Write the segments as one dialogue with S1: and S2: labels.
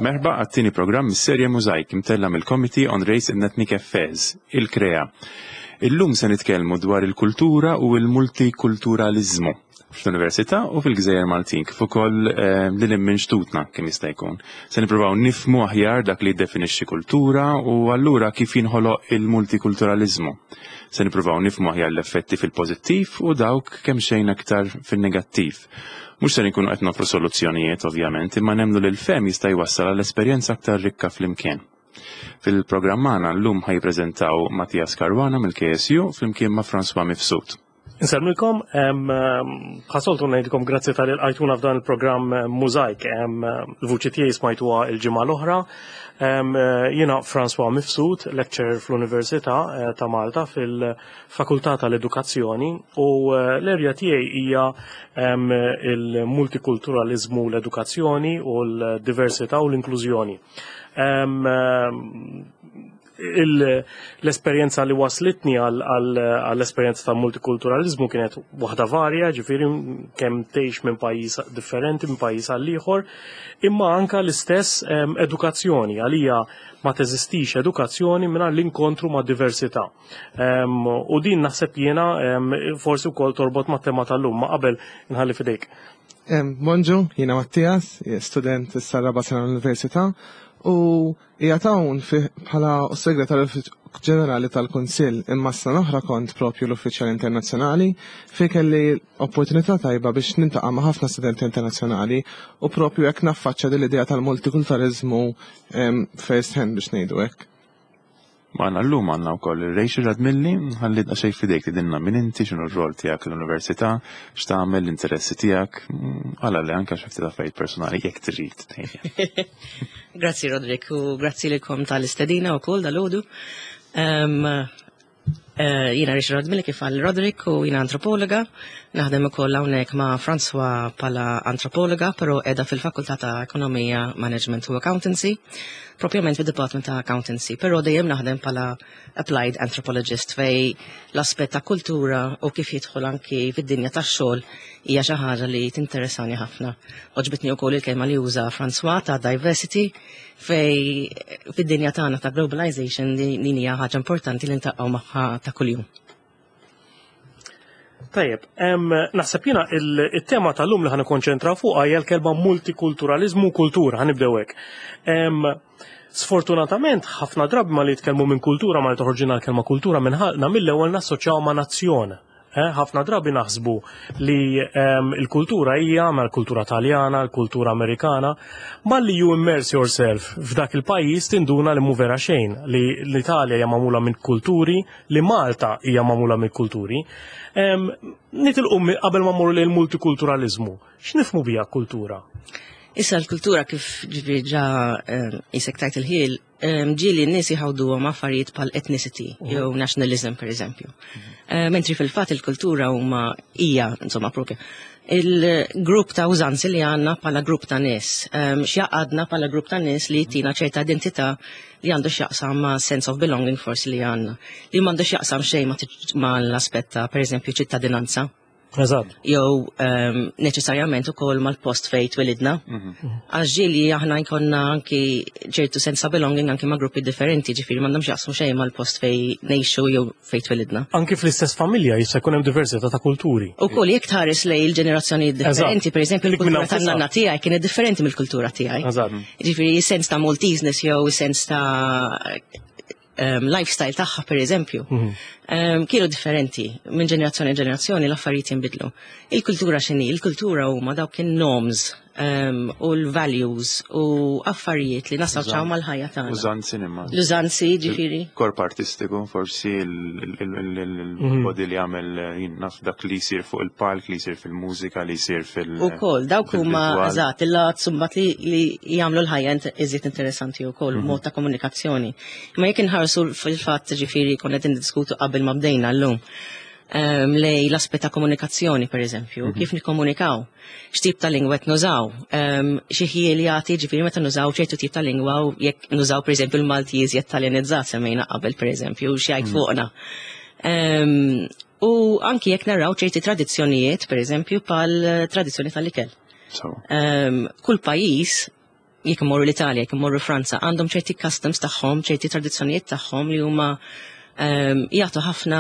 S1: Merħba għat-tieni programm mis-serje Mużajk imtella' mill-Committee on Race and Ethnic Affairs, il-KREA. Illum se nitkellmu dwar il-kultura u l-multikulturaliżmu fl-Università u fil-Gżejjer Maltin, kif ukoll eh, lil hinn minn xtutna kemm jista' jkun. Se nippruvaw nifhmu aħjar dak li jiddefinixxi kultura u allura kif jinħoloq il-multikulturaliżmu. Se nippruvaw nifhmu aħjar l-effetti fil-pożittiv u dawk kemm xejn aktar fin-negattiv. Mhux ser inkunu qed nofru soluzzjonijiet ovvjament, imma nemmnu li l-fehm jista' jwassal għal esperjenza aktar rikka flimkien. Fil-programm magħna llum ħa jippreżentaw Matthias Caruana mill-KSU flimkien ma' François Mifsud.
S2: Insellmilkom, bħasoltu ngħidilkom grazzi tal għajtuna f'dan il-programm Mużajk. Il-vuċi tiegħi smajtuha l-ġimgħa l-oħra. Jiena François Mifsud, lecturer fl-Università eh, ta' Malta fil- Fakultà tal-Edukazzjoni u eh, l-erja tiegħi hija il-multikulturaliżmu l-edukazzjoni u l-diversità u l-inklużjoni. L-esperjenza li waslitni għall-esperjenza ta' multikulturalizmu kienet waħda varja, ġifieri kemm tgħix minn pajjiż differenti minn pajjiż għal ieħor, imma anka l-istess edukazzjoni għalija ma teżistix edukazzjoni mingħajr l-inkontru ma' diversità. U din naħseb jiena forsi wkoll torbot mat-tema tal-lum, ma qabel nħalli fidejk.
S3: Bonġu, jiena Mattias, student issa raba sena l-Università u hija hawn bħala segretarju ġenerali tal-Kunsill imma s-sena oħra kont propju l-uffiċjal internazzjonali fejn kelli opportunità tajba biex nintaqa' ma' ħafna studenti internazzjonali u propju hekk naffaċċja din l-idea tal-multikulturalizmu first hand biex ngħidu hekk.
S1: Magħna llum għandna wkoll Rachel Radmilli, ħalli daqsxejn f'idejk tgħidilna min inti, x'inhu r-rol tiegħek l-università, x'tagħmel, l-interessi tiegħek, għala le anke xi ftit affarijiet personali jekk trid.
S4: Grazzi Roderick u grazzi lilkom tal-istedina wkoll dalgħodu. Eh, jiena Rachel Radmilli kif għal Roderick u jiena antropologa. Naħdem ukoll hawnhekk ma' François bħala antropologa, però qiegħda fil-Fakultà ta' Ekonomija, Management u Accountancy, propjament fid-Department ta' Accountancy, però dejjem naħdem bħala Applied Anthropologist fej l-aspett ta' kultura u kif jidħol anki fid-dinja tax-xogħol hija xi ħaġa li tinteressani ħafna. Oġbitni wkoll il-kelma li uża François ta' diversity fej fid-dinja tagħna ta' globalization din hija ħaġa importanti li ntaqgħu magħha ta' kuljum.
S2: Tajjeb, naħseb jiena il-tema tal-lum li ħan ikkonċentraw fuqha hija l-kelma multikulturalizmu u kultura, ħanibdew hekk. Sfortunatament, ħafna drabi ma li jitkellmu minn kultura ma li toħorġina l-kelma kultura minn ħalqna mill-ewwel nassoċjaw ma' nazzjon. Eh, ħafna drabi naħsbu li ehm, l-kultura hija ma l-kultura taljana, l-kultura amerikana, malli you immerse yourself f'dak il-pajjiż tinduna li mhu vera xejn, li l-Italja hija magħmula minn kulturi, li Malta hija magħmula minn kulturi. Ehm, nitilqu qabel ma mmorru lejn multikulturalizmu. X'nifhmu biha kultura?
S4: Issa l-kultura kif ġifieri ġa ehm, isek tajt il-ħil ġieli n-nies jħawduhom affarijiet bħal ethnicity mhm. jew nationalism per eżempju. Mhm. Eh, mentri fil-fatt il-kultura huma hija insomma propja il-grupp ta' użanzi li għanna pala grupp ta' nies, x'jaqadna pala grupp ta' nies li jtina ċerta identità li għandu x'jaqsam ma' sense of belonging forsi li għanna, li m'għandu x'jaqsam xejn ma' l-aspett ta' per eżempju ċittadinanza.
S2: Eżatt.
S4: Jew ehm, neċessarjament ukoll mal-post fejn twilidna. Mhm. Għax ġieli aħna jkollna anki ċertu sense ta' belonging anki ma' gruppi differenti, ġifieri m'għandhomx jaqsmu xejn mal-post fejn ngħixu jew fejn twilidna.
S2: Anki fl-istess familja jista' jkun hemm diversità ta' kulturi.
S4: Ukoll jekk tħares lej il-ġenerazzjoni differenti, pereżempju l-kultura tan-nanna tiegħi kienet differenti mill-kultura tiegħi. Ġifieri sens ta' Malteseness jew sens ta' um, lifestyle tagħha per eżempju, mm -hmm. um, kienu differenti minn ġenerazzjoni ġenerazzjoni l-affarijiet jinbidlu. Il-kultura x'inhi? Il-kultura huma dawk in-norms um, u l-values u affarijiet li nassoċjaw mal-ħajja tagħna.
S1: Użanzi nimma.
S4: L-użanzi ġifieri.
S1: Korp artistiku, forsi il-body mhm. li għamel jinnaf dak li jsir fuq il-palk, li jsir fil-mużika, li jsir fil-
S4: U kol, dawk huma eżatt, il-lat sumbat li jagħmlu l-ħajja iżjed interessanti wkoll, mhm. mod ta' komunikazzjoni. Imma jekk inħarsu fil-fatt ġifieri konna qed niddiskutu qabel ma bdejna llum ehm, lej l-aspett ta' komunikazzjoni per eżempju, mhm. kif nikkomunikaw, x'tip ta' lingwa qed nużaw, ehm, xi ħiel jagħti ġifieri meta nużaw ċertu tip ta' lingwa u jekk nużaw per eżempju l-Malti iżjed taljanizzat semmejna qabel per eżempju, x'jgħid mhm. fuqna. Ehm, u anki jekk naraw ċerti tradizzjonijiet, per eżempju, pal tradizzjoni tal-ikel. Kull pajjiż. Jekk imorru l-Italja, jekk imorru Franza, għandhom ċerti customs tagħhom, ċerti tradizzjonijiet tagħhom li huma jagħtu ħafna,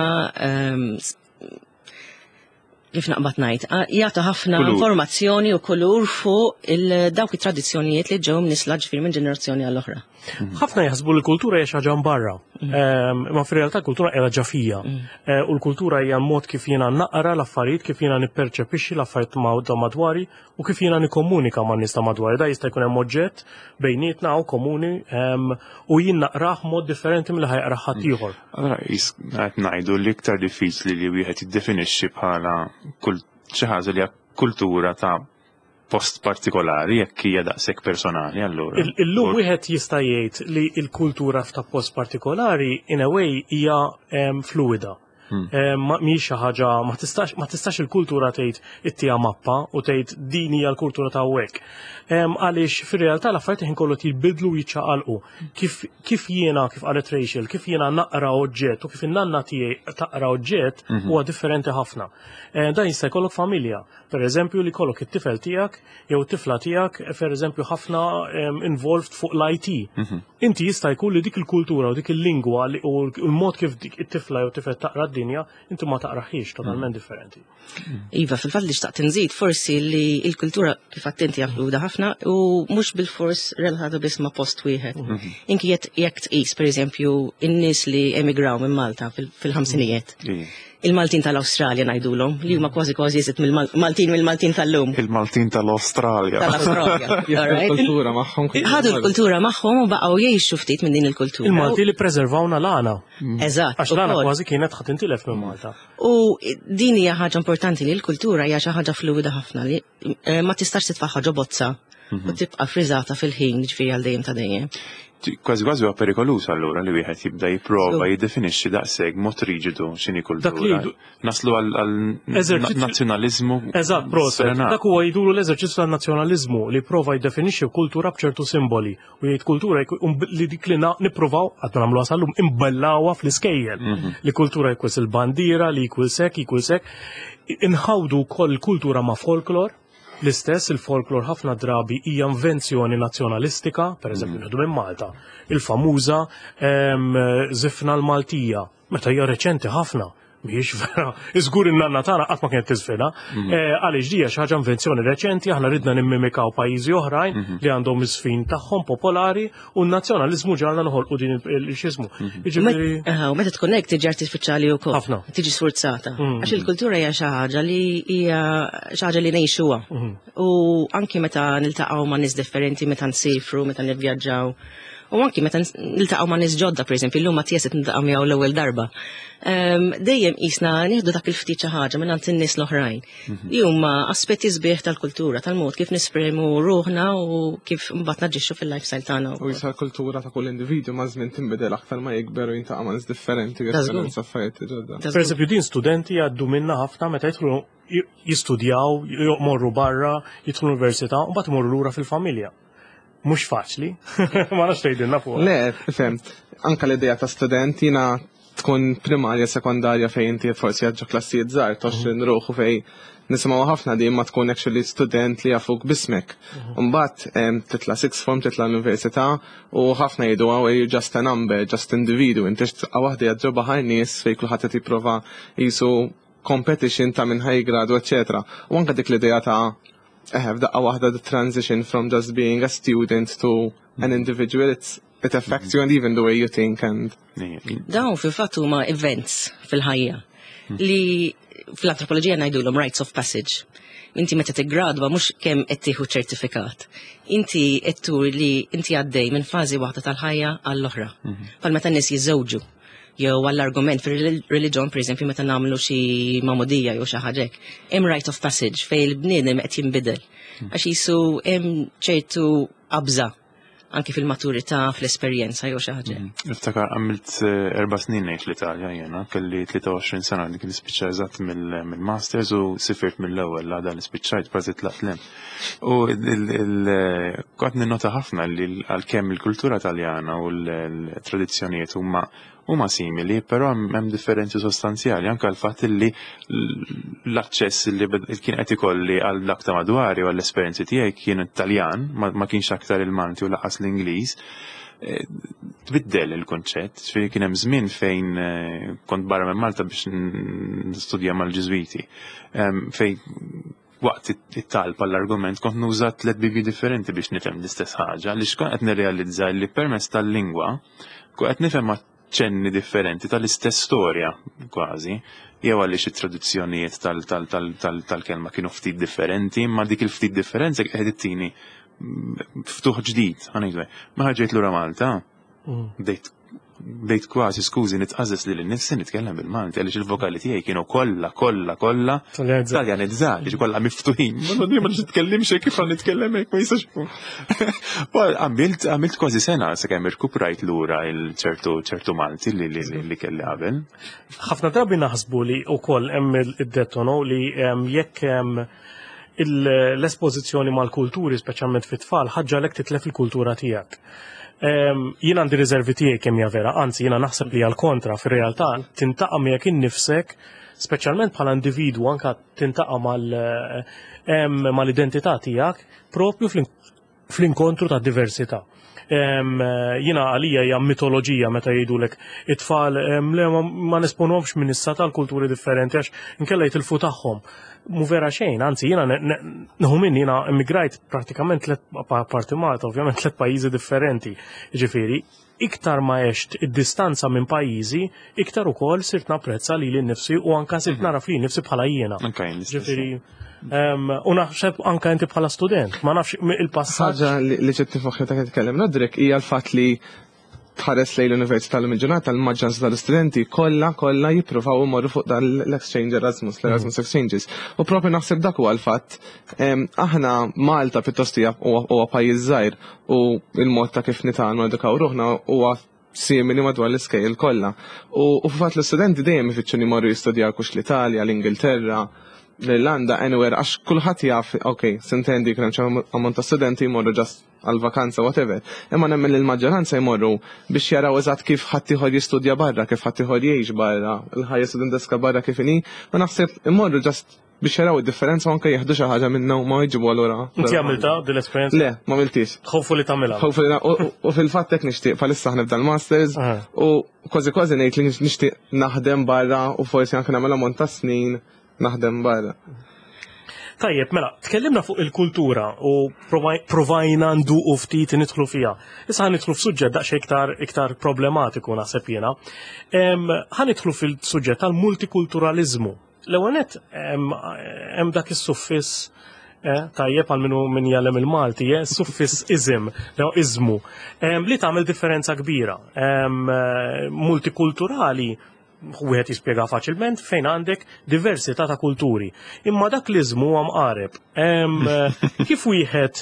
S4: kif naqbad ngħid, jagħtu ħafna informazzjoni u kulur fuq dawk it-tradizzjonijiet li ġew mnisla, ġifieri, minn ġenerazzjoni għall-oħra.
S2: Ħafna jaħsbu li l-kultura hija xi ħaġa barra. Ma fir-realtà kultura qiegħda ġa fija. U l-kultura hija mod kif jiena naqra l-affarijiet, kif jiena nipperċepixxi l-affarijiet ta' madwari u kif jiena nikkomunika man nies ta' madwari. Da jista' jkun hemm oġġett bejnietna u komuni u jien naqrah mod differenti milli ħa jaqrah ħadd ieħor.
S1: Allora qed ngħidu li iktar diffiċli li wieħed jiddefinixxi bħala kull xi ħaġa li hija kultura ta' post partikolari jekk hija daqshekk personali allura.
S2: Illum wieħed jista' jgħid li l-kultura ta' post partikolari in a way hija fluida. Ma mhix xi ħaġa, ma tistax il-kultura tgħid ittiha mappa u tgħid din hija l-kultura ta' hawnhekk. Għaliex fir-realtà l-affarijiet ħin kollu jibidlu, jiċċaqalqu. Kif jiena, kif qalet Rachel, kif jiena naqra oġġett u kif in-nanna tiegħi taqra oġġett huwa differenti ħafna. Dan jista' jkollok familja, per eżempju, li jkollok it-tifel tiegħek jew it-tifla tiegħek, per eżempju, ħafna involved fuq l-IT. Inti jista' jkun li dik il-kultura u dik il-lingwa u l-mod kif dik it-tifla jew tifel taqra d-dinja, inti ma taqraħiex, totalment differenti.
S4: Iva, fil-fatt li xtaqt nżid forsi li il-kultura, kif attenti, fluida ħafna u mhux bil-fors relatata biss ma' post wieħed. Inki jekk tqis, per eżempju, in-nies li emigraw minn Malta fil-50ijiet. Il-Maltin tal-Awstralja ngħidulhom, li huma kważi kważi jżid mill-Maltin mill-Maltin tal-lum.
S1: Il-Maltin tal-Australja.
S4: Tal-Awstralja.
S3: Jieħdu l-kultura magħhom.
S4: Ħadu l-kultura magħhom u baqgħu jgħixu ftit minn din il-kultura.
S2: Il-Malti li preservawna l-għana. Għax l-għana kważi kienet ħa tintilef minn Malta.
S4: U din hija ħaġa importanti, li l-kultura hija xi ħaġa fluida ħafna li ma tistax titfaħħa ġo bozza u tibqa' friżata fil-ħin, ġifieri għal dejjem ta' dejjem.
S1: Kważi kważi huwa perikoluż allura li wieħed jibda jipprova jiddefinixxi daqshekk mod riġidu x'inhi
S2: Dak li
S1: kultura. Naslu għal nazzjonaliżmu
S2: Eżatt, proset.
S1: sfrenat.
S2: Dak huwa jgħidulu l-eżerċizzju tan-nazzjonaliżmu li prova jiddefinixxi kultura b'ċertu simboli u jgħid kultura li dik li nippruvaw għadna nagħmluha sal-lum, imbellawha fl-iskejjel. Li kultura jkwis il-bandiera, li jkwil sek, jkwil sek. Inħawdu wkoll kultura ma' folklor. L-istess, il-folklor ħafna drabi hija invenzjoni nazzjonalistika, per eżempju, nieħdu minn Malta, il-famuża żifna l-Maltija, meta hija reċenti ħafna. Mhijiex vera, iżgur in-nanna tagħna qatt ma kienet tiżfina. Għaliex di hija xi ħaġa invenzjoni reċenti, aħna ridna nimmimikaw pajjiżi oħrajn li għandhom iż-żfin tagħhom popolari u n-nazzjonaliżmu ġalna noħolqu din il-xismu. Jiġifieri
S4: U meta tkun hekk tiġi artifiċjali wkoll.
S2: Ħafna.
S4: Tiġi sforzata. Għax il-kultura hija xi ħaġa li hija xi ħaġa li ngħixuha. U anki meta niltaqgħu ma' nies differenti, meta nsifru, meta nivvjaġġaw. U anki meta niltaqgħu ma' nies ġodda, pereżempju, illum ma tjeset niltaqgħu miegħu l-ewwel darba. Dejjem qisna nieħdu dak il-ftit xi ħaġa minn għand in-nies l-oħrajn. Li huma aspetti sbieħ tal-kultura, tal-mod kif nesprimu ruħna u kif mbagħad naġixxu fil-lifestyle tagħna
S3: U
S4: wkoll.
S3: jisa kultura ta' kull individu ma' żmien tinbidel aktar ma jikber u jiltaqa' ma' nies differenti u
S4: Ta' żgur.
S3: jesperjenza affarijiet ġodda.
S4: Ta'
S2: Per eżempju, din studenti jgħaddu minna ħafna meta jidħlu jistudjaw, jmorru barra, jidħlu l-università, u mbagħad imorru lura fil-familja. Mhux faċli, ma nafx tgħidilna fuq.
S3: Le, fem, anka l-idea ta' student, jina tkun primarja, sekondarja, fejn inti forsi għadġa klassijiet żgħar, 20 ruħu, fejn nisimgħu ħafna di, ma tkun actually student li jafuk bismek. Mbagħad titla' sixth form, titla' l-università u ħafna jgħidu, "Oh, you're just a number, just individu," inti tibqa' waħda ġo baħar nies fejn kulħadd qed jipprova jisu competition ta' minn ħa jigradwa, eccetera. U anka dik l-idea ta' f'daqqa waħda the transition from just being a student to an individual, it affects you and even the way you think and
S4: Dawn fil-fatt huma events fil-ħajja li fl-antropoloġija ngħidulhom rites of passage. Inti meta tiggradwa mhux kemm qed tieħu ċertifikat. Inti qed turi li inti għaddej minn fażi waħda tal-ħajja għall-oħra. Bħal meta n-nies jiżżewġu jew għall-argument fil-reliġjon, pereżempju, meta nagħmlu xi magħmudija jew xi ħaġa hekk. Hemm rite of passage fejn il-bniedem qed jinbidel. Għax jisu hemm ċertu qabża anki fil-maturità, fl-esperjenza jew xi ħaġa.
S1: Niftakar għamilt 4 snin ngħix l-Italja jena, kelli 23 sena dik nispiċċa eżatt mill-masters u sifirt mill-ewwel l-għada li spiċċajt, kważi tlaqt lem. U kont ninnota ħafna li għalkemm il-kultura Taljana u l-tradizzjonijiet huma Huma simili, però hemm differenzi sostanzjali anke l-fatt li l-aċċess li kien qed ikolli għal dak ta' madwari u għall-esperjenzi tiegħi kien Taljan, ma kienx aktar il-Malti u lanqas l-Ingliż. Tbiddel il-konċett, ġifieri kien hemm żmien fejn kont barra minn Malta biex nistudja mal-Ġiżwiti, fejn waqt it-talb għall-argument kont nuża tliet Bibbji differenti biex nifhem l-istess ħaġa, li kont qed nirrealizza li permezz tal-lingwa kont qed nifhem ċenni differenti tal-istess storja kważi, jew għaliex it-traduzzjonijiet tal-kelma kienu ftit differenti, imma dik il-ftit differenza qed ittini ftuħ ġdid, ħa ngħidu. Ma ġejt lura Malta, bdejt kważi, skużi, nitqażżeż li l-nifsi nitkellem bil-Malti għaliex il-vokali tiegħi kienu kollha kollha kollha taljanizzati, kollha miftuħin. Ma ma nitkellimx hekk, kif nitkellem hekk, ma jistax ikun. Għamilt kważi sena sakemm irkuprajt lura il-ċertu ċertu Malti li kelli qabel.
S2: Ħafna drabi naħsbu li wkoll hemm id-dettono li jekk l-espożizzjoni mal-kulturi, speċjalment fit-tfal, ħaġġalek titlef il-kultura tiegħek. Jien għandi riservi tiegħi kemm hija vera, anzi jiena naħseb li għal kontra fir-realtà tiltaqa' miegħek innifsek, speċjalment bħala individwu, anka tiltaqa' mal-identità tiegħek propju fl-inkontru ta' diversità. Jiena għalija hija mitoloġija meta jgħidulek it-tfal le ma nesponuhomx minn issa tal-kulturi differenti għax inkella jitilfu tagħhom. Mu vera xejn, anzi jiena nħu minn jiena immigrajt prattikament tliet, parti Malta, ovvjament, tliet pajjiżi differenti. Ġifieri, iktar ma għext id-distanza minn pajjiżi, iktar ukoll sirt napprezza lili nnifsi u anka sirt naraf lili nnifsi bħala jiena. Ġifieri, u naħseb anka inti bħala student, ma nafx il-passaġġ.
S3: Ħaġa li ġiet f'moħħi ta' titkellem Roderick hija l-fatt li tħares lejn l-Università l ġurnata, l-maġġoranza tal-istudenti kollha kollha jippruvaw imorru fuq dan l-exchange Erasmus, l-Erasmus Exchanges. U propju naħseb dak huwa l-fatt. Aħna Malta pjuttost huwa pajjiż żgħir u il-mod ta' kif nitgħallmu edukaw ruħna huwa simili madwar l-iskejjel kollha. U f'fatt l-istudenti dejjem ifittxu li jmorru jistudjaw kux l-Italja, l-Ingilterra, l-Irlanda, anywhere, għax kulħadd jaf, ok, s'intendi kien hemm ammont ta' studenti jmorru just għal-vakanza, whatever. Imma nemmen li l-maġġoranza jmorru biex jaraw eżatt kif ħaddieħor jistudja barra, kif ħaddieħor jgħix barra, il-ħajja studenteska barra kif inhi, u naħseb imorru just biex jaraw id-differenza u anke jieħdu xi ħaġa minnha u ma jġibu allura.
S2: Inti għamilta dil-esperjenza?
S3: Le, ma għamiltix.
S2: Hopefully tagħmilha.
S3: Hopefully, u fil-fatt hekk nixtieq bħalissa ħnibda l-masters u kważi kważi ngħid li nixtieq naħdem barra u forsi anke nagħmel ammont ta' snin naħdem barra.
S2: Tajjeb, mela, tkellimna fuq il-kultura u provajna nduqu ftit nidħlu fiha. Issa ħa nidħlu f'suġġett daqsxejn iktar problematiku, naħseb jiena. Ħa nidħlu fil-suġġett tal-multikulturalizmu. L-ewwel nett hemm dak is-suffiss, tajjeb għal minnu min jgħallem il-Malti, suffiss ism, jew iżmu, li tagħmel differenza kbira. Multikulturali wieħed jispjega faċilment fejn għandek diversità ta' kulturi. Imma dak l-iżmu huwa mqareb. Kif wieħed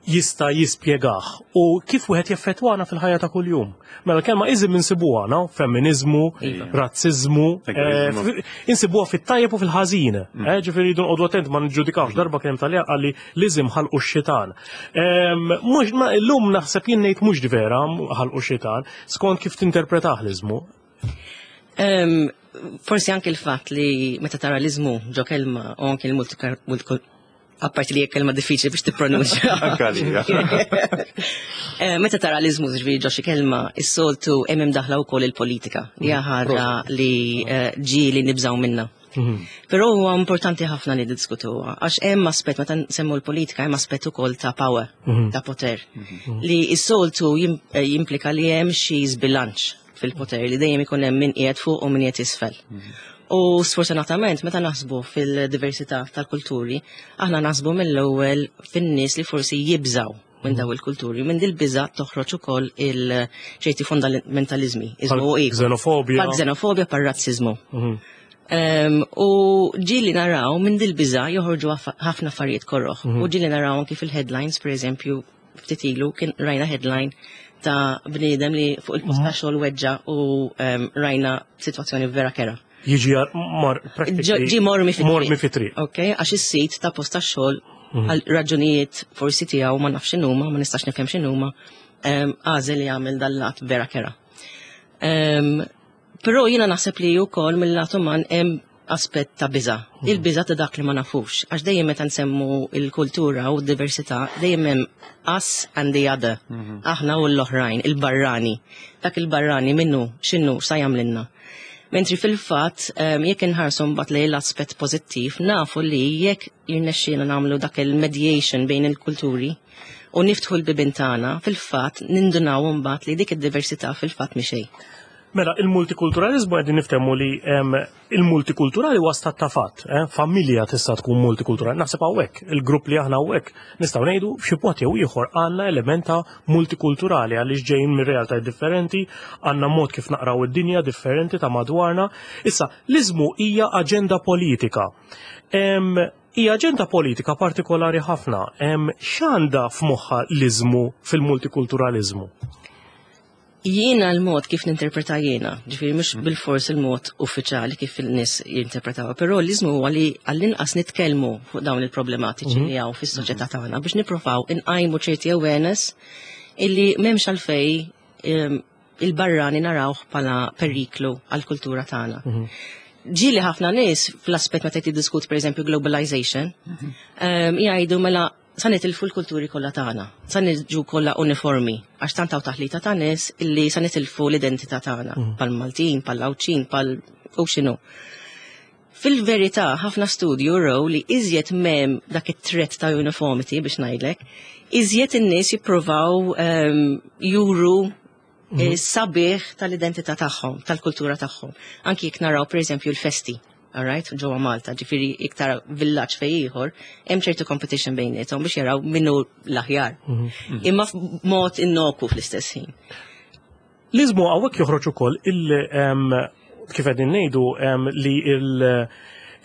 S2: jista' jispjegah u kif wieħed jeffettwana fil-ħajja ta' kuljum? Mela l-kelma iżm insibuha, no? Femminizmu, razziżmu, insibuha fit-tajjeb u fil-ħażin. Ġifieri jridu nqogħdu attent ma niġġudikawx. Darba kien hemm Taljan qalli l-iżm ħalqu x-xitan. Mhux ma llum naħseb jien ngħid mhux vera ħalqu x-xitan, skont kif tinterpretah l-iżmu.
S4: Forsi anke il-fatt li meta tara l-iżmu ġo kelma u anke il-multi, apparti li hija kelma diffiċli biex tippronunċja.
S1: Anke għalija.
S4: Meta tara l-iżmu ġifieri ġo xi kelma, is-soltu hemm imdaħla wkoll il-politika, li hija ħaġa li ġieli nibżgħu minnha. Però huwa importanti ħafna li diskutuha, għax hemm aspett, meta nsemmu l-politika, hemm aspett ukoll ta' power, ta' poter, li s-soltu jimplika li hemm xi żbilanċ fil-poter, li dejjem ikun hemm min qiegħed fuq u min qiegħed isfel. U sfortunatament meta naħsbu fil-diversità tal-kulturi, aħna naħsbu mill-ewwel fin-nies li forsi jibżaw minn daw il-kulturi. Minn dil-biża toħroġ ukoll il-ċerti fundamentalizmi, iżmu u ieħor.
S2: Xenofobja.
S4: Bħal xenofobja, bħal razzizmu. U ġieli naraw minn dil-biża joħorġu ħafna affarijiet korroħ. U ġieli naraw anki fil-headlines, per eżempju, ftit ilu kien rajna headline ta' bniedem li fuq il-post ta' xogħol weġġa u rajna sitwazzjoni vera kera.
S2: Jiġi mar practically
S4: Ġi mormi fit-triq.
S2: Mormi fit-triq.
S4: Ok, għax is-sit ta' post ta' xogħol għal raġunijiet forsi tiegħu, ma nafx x'inhuma, ma nistax nifhem x'inhuma, għażel li jagħmel dal-lat vera kera. Però jiena naħseb li wkoll mill-lat uman hemm aspett ta' biża'. Il-biża' ta' dak li ma nafux. Għax dejjem meta nsemmu il-kultura u d-diversità, dejjem hemm us and the other. Aħna u l-oħrajn, il-barrani. Dak il-barrani minnu, x'inhu, sa jagħmlilna. Mentri fil-fatt, jekk inħarsu mbagħad lejn l-aspett pożittiv, nafu li jekk jirnexxielna nagħmlu dak il-mediation bejn il-kulturi u niftħu l-bibien tagħna, fil-fatt nindunaw mbagħad li dik id-diversità fil-fatt mhi xejn.
S2: Mela, il-multikulturalizmu qegħdin niftehmu li il-multikulturali huwa stat ta' fatt, eh? Familja tista' tkun multikulturali. Naħseb hawnhekk, il-grupp li aħna hawnhekk nistgħu ngħidu f'xi mod jew ieħor għandna element ta' multikulturali għaliex ġejjin minn realtajiet differenti, għandna mod kif naqraw id-dinja differenti ta' madwarna. Issa, l-iżmu hija aġenda politika. Hija aġenda politika partikolari ħafna. X'għandha f'moħħha l-iżmu fil-multikulturalizmu?
S4: Jiena l-mod kif ninterpreta jiena, ġifieri mhux bil-fors il-mod uffiċjali kif il-nies jinterpretaw, però l-iżmu huwa li għall-inqas nitkellmu fuq dawn il-problematiċi li hawn fis-soċjetà tagħna biex nippruvaw inqajmu ċerti awareness illi m'hemmx għalfej il-barrani narawh bħala periklu għall-kultura tagħna. Ġieli ħafna nies fl-aspett meta tiddiskuti pereżempju globalization, jgħidu mela sa nitilfu l-kulturi kollha tagħna, sa niġu kollha uniformi, għax tant hawn taħlita ta' nies illi sa nitilfu l-identità tagħna, pal Maltin, pal Għawdxin, pal u x'inhu. Fil-verità, ħafna studju raw li iżjed m'hemm dak it-threat ta' uniformity biex ngħidlek, iżjed in-nies jippruvaw juru sabiħ tal-identità tagħhom, tal-kultura tagħhom. Anki jekk naraw pereżempju l-festi, all right, ġewwa Malta, ġifieri iktar villaġġ fej ieħor, hemm ċertu competition bejniethom biex jaraw minnu l-aħjar. Imma f'mod innoku fl-istess ħin.
S2: L-iżmu hawnhekk joħroġ ukoll kif qegħdin ngħidu li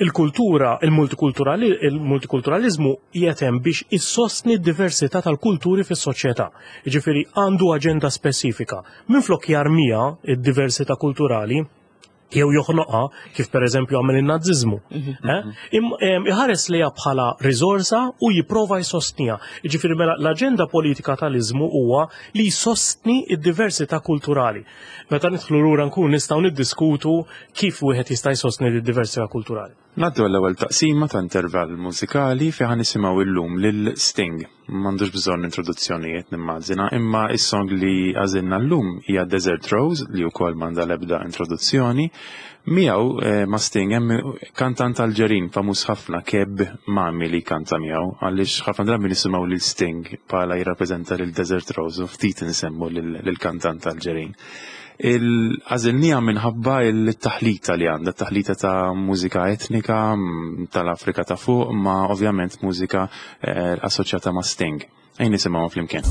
S2: il-kultura, il-multikulturalizmu qiegħed hemm biex issostni d-diversità tal-kulturi fis-soċjetà. Jiġifieri għandu aġenda spesifika. Minflok jarmija id-diversità kulturali jew joħnoqha kif pereżempju għamel in-Naziżmu. Iħares lejha bħala riżorsa u jipprova jsostniha. Jiġifieri mela l-aġenda politika tal-iżmu huwa li jsostni d-diversità kulturali. Meta nidħlu lura nkun nistgħu niddiskutu kif wieħed jista' jsostni d-diversità kulturali.
S1: Ngħaddu għall-ewwel taqsima ta' intervall mużikali fejn ħa nisimgħu illum lil Sting. M'għandux bżonn introduzzjonijiet nimmaġina, imma is-song li għażilna llum hija Desert Rose li wkoll m'għandha l-ebda introduzzjoni. Miegħu ma' Sting hemm kantant Alġerin famuż ħafna Cheb Mami li kanta miegħu, għaliex ħafna drabi nisimgħu lil Sting bħala jirrappreżenta lil Desert Rose u ftit insemmu lil kantant Alġerin. Il-għażilnija minħabba il-taħlita li għandha, taħlita ta' mużika etnika tal-Afrika ta' fuq, ma' ovvjament mużika assoċjata ma' Sting. Ejn nisimgħu flimkien.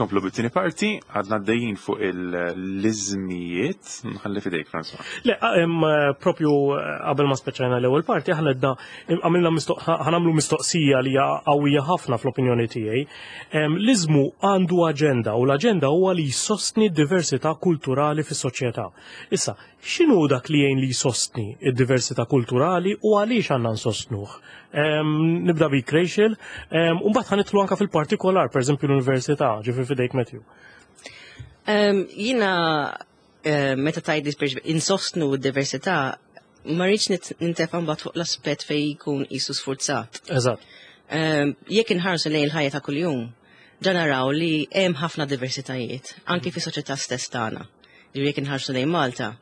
S1: Inkomplu bit-tieni parti, għadna għaddejjin fuq l-iżmijiet, nħalli fidejk François.
S2: Le, propju qabel ma speċajna l-ewwel parti, aħna għedna għamilna ħanamlu mistoqsija li hija qawwija ħafna fl-opinjoni tiegħi. L-iżmu għandu aġenda u l-aġenda huwa li jsostni d-diversità kulturali fis-soċjetà. Issa, x'inhu dak li jgħin li jsostni d-diversità kulturali u għaliex għandna nsostnuh? Nibda bik Rachel, u mbagħad ħanitlu anka fil-partikolar, pereżempju l-università, ġifier fidejk Matthew.
S4: Jiena meta tgħidli insostnu d-diversità, ma rridx nintefa' mbagħad fuq l-aspett fejn jkun qisu sfurzat.
S2: Eżatt.
S4: Jekk inħarsu lejn il-ħajja ta' kuljum, ġa naraw li hemm ħafna diversitajiet, anki fis-soċjetà stess tagħna. Ġifieri jekk inħarsu lejn Malta,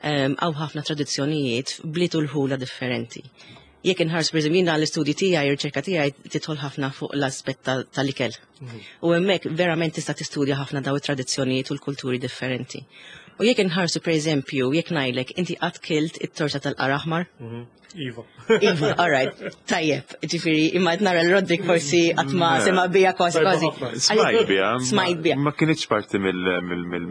S4: hawn ħafna tradizzjonijiet bliet u l-ħula differenti. Jekk inħarsu pereżempju jiena l-istudji tiegħi, ir-riċerka tiegħi tidħol ħafna fuq l-aspett tal-ikel. U hemmhekk verament tista' tistudja ħafna daw it-tradizzjonijiet u l-kulturi differenti. U jekk inħarsu pereżempju, jekk ngħidlek inti qatt kilt it-torta tal-qara aħmar?
S2: Iva.
S4: Iva, all right, tajjeb, ġifieri, imma qed nara l-Rodrik forsi qatt ma sema' bija kważi kważi.
S1: Smajt bija.
S4: Smajt bija.
S1: Ma kinitx parti mill.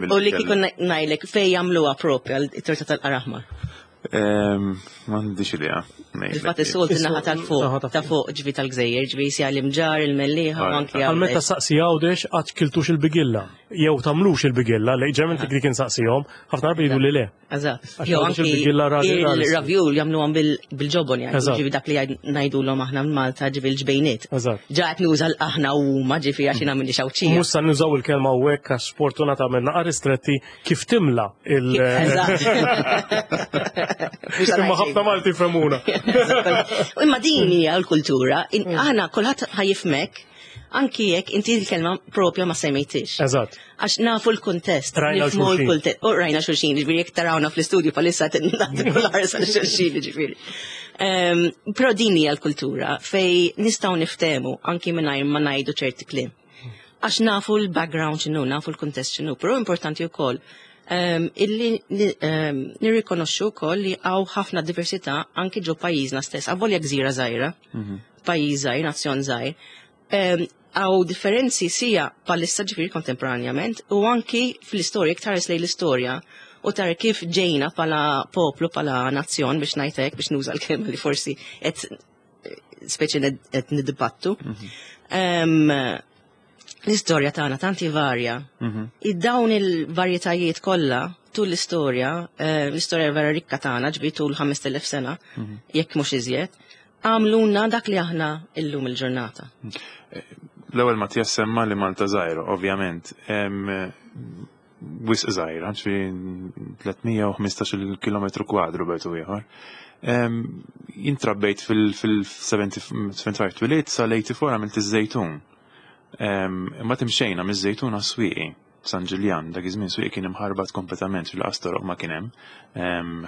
S4: U li kieku ngħidlek fejn jagħmluha propja t-torta tal-qara aħmar?
S1: M'għandix idea.
S4: Il-fatt is-soltu naħa tal-fuq, ta' fuq ġvi tal-gżejjer, ġvi sija l-imġar, il-mellieħa, u anki
S2: Għal meta saqsi Għawdex qatt kiltux il-bigilla, jew tagħmlux il-bigilla, li ġemmen dik insaqsihom, ħafna drabi jgħidu li le.
S4: Eżatt. Jew anki il-ravjul jagħmluhom bil-ġobon jgħidu, ġifi dak li ngħidulhom aħna Malta ġifi l-ġbejniet.
S2: Eżatt.
S4: Ġa qed nuża l-aħna u huma ġifi għax jiena minni xawċija.
S2: Mhux se nużaw il-kelma hawnhekk għax sfortunatament naqa' ristretti kif timla il-
S4: Eżatt.
S2: Imma ħafna Malti femuna.
S4: Imma din hija l-kultura, aħna kulħadd ħajifmek anki jekk inti l-kelma propja ma semmejtix.
S2: Eżatt.
S4: Għax nafu l-kuntest.
S2: Rajna
S4: nifhmu
S2: xulxin.
S4: l-kuntest. U rajna xulxin, ġifieri jekk tarawna fl-istudju palissa nagħtu l-ħarsa xulxin, ġifieri. Però din hija l-kultura fej nistgħu niftehmu anki mingħajr ma ngħidu ċerti kliem. Għax nafu l-background x'inhu, nafu l-kuntest x'inhu, però importanti wkoll illi nirrikonoxxu wkoll li hawn ħafna diversità anki ġo pajjiżna stess, avolja gżira żgħira, pajjiż żgħir, nazzjon żgħir. Hawn differenzi sija palissa ġifieri kontemporanjament u anki fl-istorja, iktar lejn l-istorja u tara kif ġejna pala poplu, pala nazzjon biex ngħidlek, biex nuża l-kelma li forsi qed speċi qed niddibattu. L-istorja tagħna tanti varja. Id-dawn il-varjetajiet kollha tul l-istorja, l-istorja vera rikka tagħna ġbi tul 5000 sena, jekk mhux iżjed, għamluna dak li aħna illum il-ġurnata.
S1: L-ewwel Mattias semma li Malta żgħira, ovvjament. Wisq żgħira, ġifieri 315 kilometru kwadru betu ieħor. Jien trabbejt fil-75 twiliet sal-84 għamilt iż-Żejtun. Imma timxejna miż-Żejtun għas-Swieqi. San Ġiljan, dak iż-żmien Swieqi kien imħarbat kompletament fil-qastor ma kien hemm.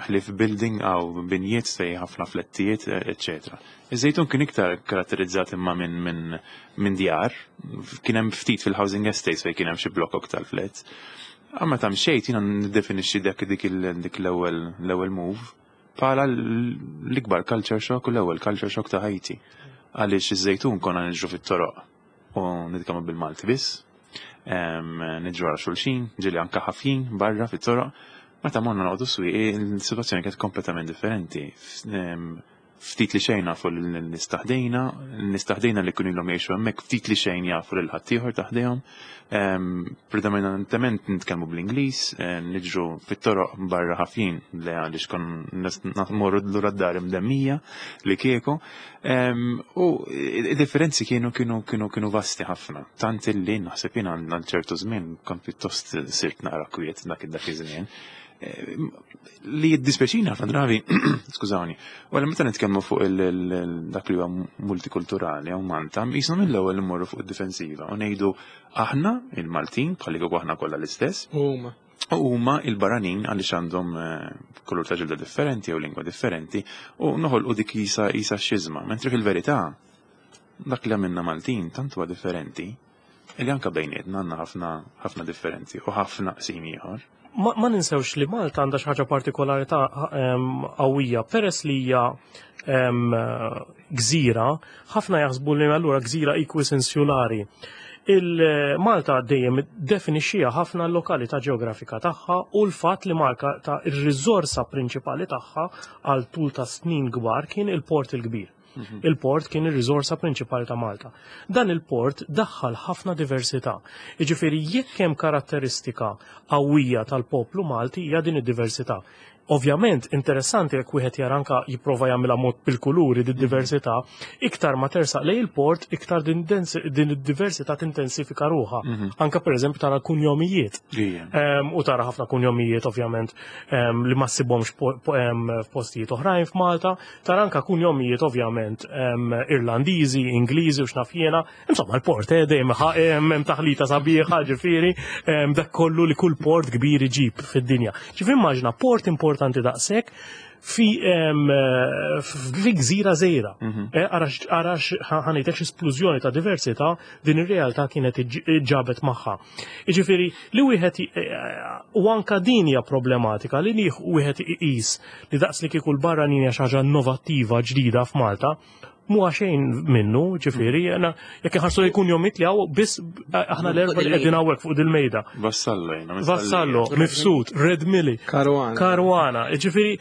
S1: Ħlief building għaw binjiet fej ħafna flettijiet, eċċetera. Iż-Żejtun kien iktar karatterizzat imma minn djar, kien hemm ftit fil-housing estates fejn kien hemm xi blokok tal-flats. Imma ta' mxejt jiena niddefinixxi dak dik dik l-ewwel move bħala l-ikbar culture shock u l-ewwel culture shock ta' ħajti. Għaliex iż-Żejtun konna niġru fit-toroq u nitkellmu bil-Malti biss. Niġru għal xulxin, ġieli anka ħafjin barra fit-toroq. Meta morna noqogħdu Swieqi, il-sitwazzjoni kienet kompletament differenti. Ftit li xejn nafu lin-nies taħdejna, n-nies taħdejna li kienu ilhom jgħixu hemmhekk ftit li xejn jafu lil ħaddieħor taħdejhom. Predominantement nitkellmu bl-Ingliż, niġru fit-toroq barra ħafjin li għaliex kon morru lura d-dar imdemmija li kieku. U id-differenzi kienu kienu kienu kienu vasti ħafna. Tant illi naħseb jien għal ċertu żmien kont pjuttost sirt naqra kwiet dak dak iż-żmien. Li jiddispeċina ħafna drabi, skużawni, u għal meta nitkellmu fuq dak li huwa multikulturali hawn Malta, jisna mill-ewwel immorru fuq id-difensiva u ngħidu aħna il-Maltin bħalli kieku aħna kollha l-istess.
S3: Huma.
S1: U huma il-barranin għaliex għandhom kulur ta' ġilda differenti jew lingwa differenti u noħolqu dik jisa xiżma, mentri fil-verità dak li għamilna Maltin tant huwa differenti li anka bejnietna għandna ħafna ħafna differenzi u ħafna qsim ieħor.
S2: Ma ninsewx li Malta għandha xi ħaġa partikolari ta' qawwija, peress li hija gżira, ħafna jaħsbu li allura gżira equis insulari. Il-Malta dejjem definixxija ħafna l-lokalità ġeografika tagħha u l-fatt li Malta ta' ir-riżorsa prinċipali tagħha għal tul ta' snin kbar kien il-port il-kbir. Il-port kien ir-riżorsa prinċipali ta' Malta. Dan il-port daħħal ħafna diversità. Jiġifieri jekk hemm karatteristika qawwija tal-poplu Malti hija din id-diversità. Ovvjament, interessanti jekk wieħed jara anka jipprova jagħmilha mod bil-kuluri di diversità, iktar ma tersaq lejn il-port, iktar din id-diversità tintensifika ruħha. Anka pereżempju tara kunjomijiet. U tara ħafna kunjomijiet ovvjament li ma ssibhomx f'postijiet oħrajn f'Malta, tara anka kunjomijiet ovvjament Irlandiżi, Ingliżi u x'naf jiena. Insomma, l-port dejjem hemm taħlita sabiħa, ġifieri, dak kollu li kull port kbir iġib fid-dinja. Ġifieri immaġina port importanti daqshekk fi gżira żgħira. Arax ħanejtek splużjoni ta' diversità din ir-realtà kienet ġabet magħha. Jiġifieri li wieħed u anka din hija problematika li wieħed iqis li daqs li kieku l-barranin hija xi ħaġa innovattiva ġdida f'Malta, mhuwa xejn minnu, ġifieri, jena jekk inħarsu li jkun jomit li hawn biss aħna l-erba' li qegħdin hawnhekk fuq dil-mejda.
S1: Vassallo jiena.
S2: Vassallo, Mifsud, Red Milli,
S3: Caruana.
S2: Caruana, ġifieri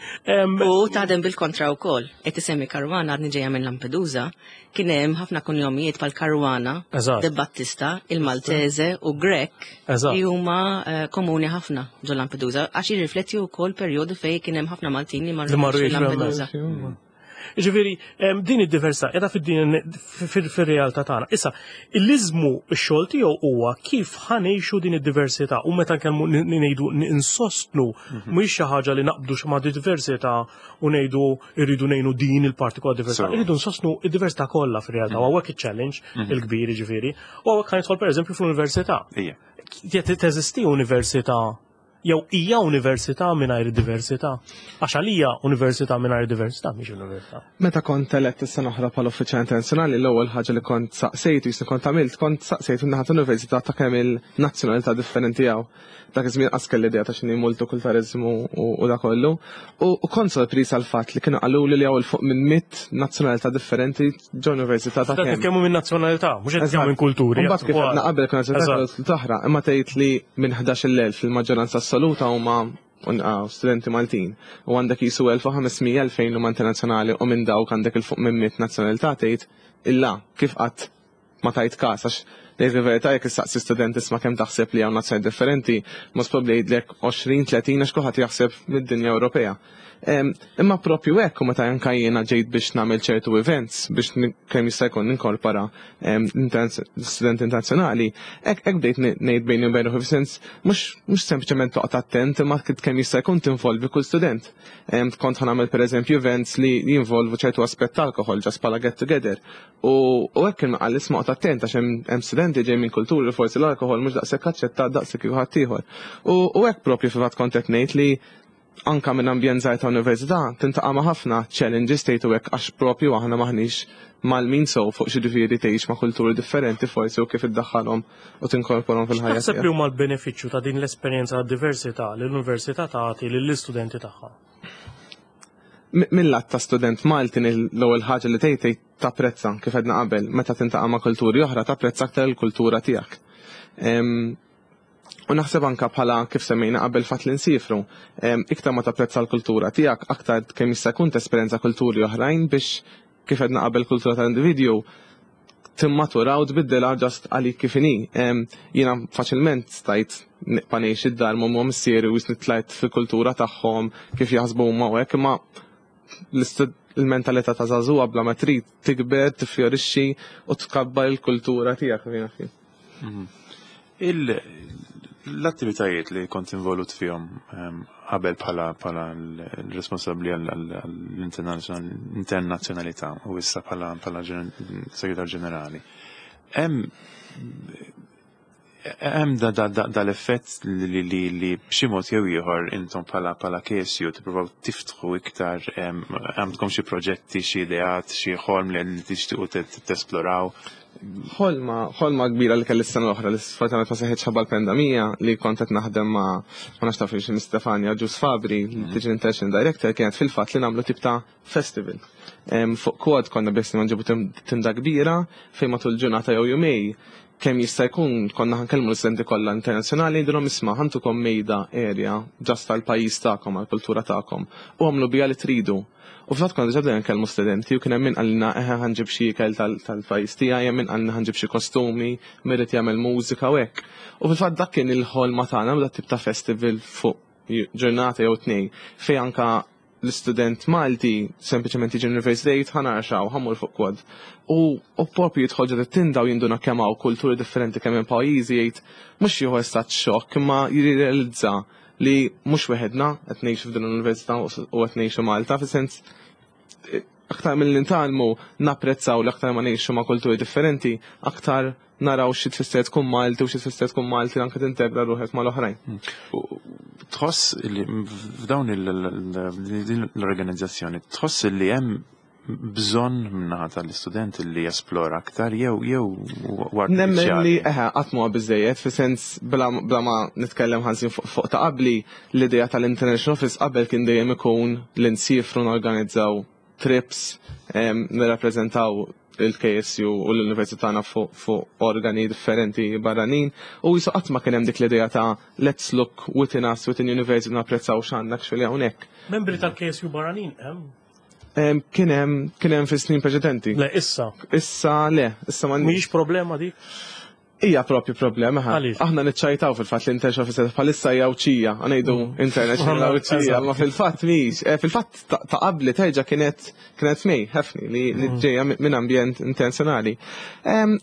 S4: U taħdem bil-kontra wkoll. Qed isemmi Caruana għadni ġejja minn Lampedusa, kien hemm ħafna kunjomijiet bħal Caruana, De Battista, il-Maltese u Grech li huma komuni ħafna ġo Lampedusa għax jirrifletti wkoll perjodu fejn kien hemm ħafna Maltin li marru Lampedusa.
S2: Ġifieri, din id-diversità qiegħda fid-din fir-realtà tagħna. Issa, il-liżmu x-xogħol tiegħu huwa kif ħanejxu din id-diversità u meta nkellmu ngħidu insostnu mhix xi ħaġa li naqbdu xi ma' diversità u ngħidu rridu ngħinu din il-parti kollha diversità. Irridu nsostnu id-diversità kollha fir-realtà u hawnhekk iċ-challenge il-kbir ġifieri. U hawnhekk ħanidħol pereżempju fl-università. Teżisti università jew hija università mingħajr diversità? Għax għalija università mingħajr diversità mhix università.
S3: Meta kont elett is-sena oħra bħala uffiċjal internazzjonali, l-ewwel ħaġa li kont saqsejt, jisni kont għamilt, kont saqsejt min-naħa tal-università ta' kemm il-nazzjonalità differenti hawn. Dak iż-żmien qas kelli idea ta' x'inhi multikulturalizmu u da kollu. U kont sorpriż għall-fatt li kienu qaluli li hawn 'il fuq minn 100 nazzjonalità differenti ġo università ta'
S2: kemm. Nitkellmu minn nazzjonalità, mhux qed nitkellmu minn kulturi.
S3: Mbagħad kif għedna qabel kien nazzjonalità oħra, imma tgħid li minn 11,000 fil-maġġoranza assoluta huma studenti Maltin. U għandek jisu 1500 2000 huma internazzjonali u minn dawk għandek 'il fuq minn 100 nazzjonalità tgħid illa kif qatt ma tajt każ għax ngħid il-verità jekk issaqsi student isma' kemm taħseb li hawn nazzjoni differenti, most probably jgħidlek 20-30 għax kulħadd jaħseb mid-dinja Ewropea. Imma propju hekk u meta anka jiena ġejt biex nagħmel ċertu events biex kemm jista' jkun ninkorpora studenti internazzjonali, hekk bdejt ngħid bejni u bejn ruħi fis-sens mhux sempliċement toqgħod attent imma kemm jista' jkun tinvolvi kull student. Kont ħa nagħmel pereżempju events li jinvolvu ċertu aspett alkohol just bħala get together. U hekk kien qal isma' oqgħod attent għax hemm studenti ġej minn kulturi li forsi l-alkohol mhux daqshekk aċċettat daqshekk kieku ħaddieħor. U hekk propju fil-fatt kont qed ngħid li anka minn ambjent żgħir ta' università tintaqa' ma' ħafna challenges tgħidu hekk għax propju aħna maħniex mal-min so fuq xi ġifieri tgħix ma' kulturi differenti forsi u kif iddaħħalhom u tinkorporhom fil-ħajja.
S2: X'taħseb li huma l-benefiċċju ta' din l-esperjenza ta' diversità li l-università tagħti lill-istudenti tagħha?
S3: Mill-lat ta' student Malti l-ewwel ħaġa li tgħid tgħid tapprezza kif għedna qabel, meta tintaqa' ma' kulturi oħra tapprezza aktar il-kultura tiegħek. U naħseb anka bħala kif semmejna qabel fatt li nsifru, iktar ma tapprezza l-kultura tiegħek, aktar kemm jista' jkun tesperjenza kulturi oħrajn biex kif għedna qabel kultura tal-individwu timmatura u tbiddilha just għalik kif inhi. Jiena faċilment stajt nibqa' ngħix id-dar ma' missieri u jisni tlajt fil-kultura tagħhom kif jaħsbu huma u hekk, imma il-mentalità ta' żagħżugħa bla ma trid tikber, tiffjorixxi u tkabbar il-kultura tiegħek jiena fih.
S1: L-attivitajiet li kont involut fihom qabel bħala l-responsabbli għall-internazzjonalità u issa bħala segretar ġenerali. Hemm dal-effett li b'xi mod jew ieħor intom bħala KSU tippruvaw tiftħu iktar, għandkom xi proġetti, xi ideat, xi ħolm li tixtiequ tesploraw?
S3: Ħolma kbira li kelli s-sena l-oħra li sfortunatament ma seħħitx ħabba l-pandemija li kont qed naħdem ma' ma nafx taf xi Stefania Ġus Fabri, Digital International Director, kienet fil-fatt li nagħmlu tip ta' festival. Fuq quad konna biss nġibu tinda kbira fejn matul ġurnata jew jumej. Kemm jista' jkun konna ħa nkellmu l-istudenti kollha internazzjonali, ngħidulhom, "Isma', ħa ntukom mejda area just tal-pajjiż tagħkom, għall-kultura tagħkom, u għamlu biha li tridu." U fil-fatt konna diġà bdejna nkellmu studenti u kien hemm min qalilna, "Eħe, ħa nġib xi ikel tal-pajjiż tiegħi", hemm min qalilna, "Ħa nġib xi kostumi", min irid jagħmel mużika u hekk. U fil-fatt dak kien il-ħolma tagħna, dak tip ta' festival fuq ġurnata jew tnejn fejn anka l-istudent Malti sempliċement jiġi l-università jgħid, "Ħa nara x'hawn, ħa mmur fuq quad." U propju jidħol ġo tinda u jinduna kemm hawn kulturi differenti, kemm hemm pajjiżi, jgħid, mhux jieħu estat xokk, imma jirrealizza li mhux weħedna qed ngħixu f'din l-università u qed ngħixu Malta, fis-sens aktar mill nitgħallmu napprezzaw li aktar ma ngħixu ma' kulturi differenti, aktar naraw xi tfisser tkun Malti u xi tfisser tkun Malti anke tintegra ruħek mal-oħrajn.
S1: Tħoss li f'dawn l-organizzazzjoni, tħoss li hemm bżonn min-naħa tal-istudent li jesplora aktar jew
S3: Nemmen li eħe, qatt m'huwa biżejjed, fi sens bla ma nitkellem ħażin fuq ta' qabli, l-idea tal-International Office qabel kien dejjem ikun li nsifru, norganizzaw trips, nirrappreżentaw il-KSU u l-Università tagħna fuq organi differenti barranin u jisu qatt ma kien hemm dik l-idea ta' let's look within us, within university, napprezzaw x'għandna actually hawnhekk.
S2: Membri tal-KSU barranin hemm?
S3: Kien hemm fi snin preċedenti.
S2: Le, issa.
S3: Issa le, issa ma
S2: Mhijiex problema dik?
S3: Hija propju problema, ħa.
S2: Għaliex?
S3: Aħna niċċajtaw fil-fatt li International Officer bħalissa hija Għawdxija, ngħidu International Għawdxija, ma fil-fatt mhix. Fil-fatt ta' qabli terġa' kienet mej, ħafni li ġejja minn ambjent internazzjonali.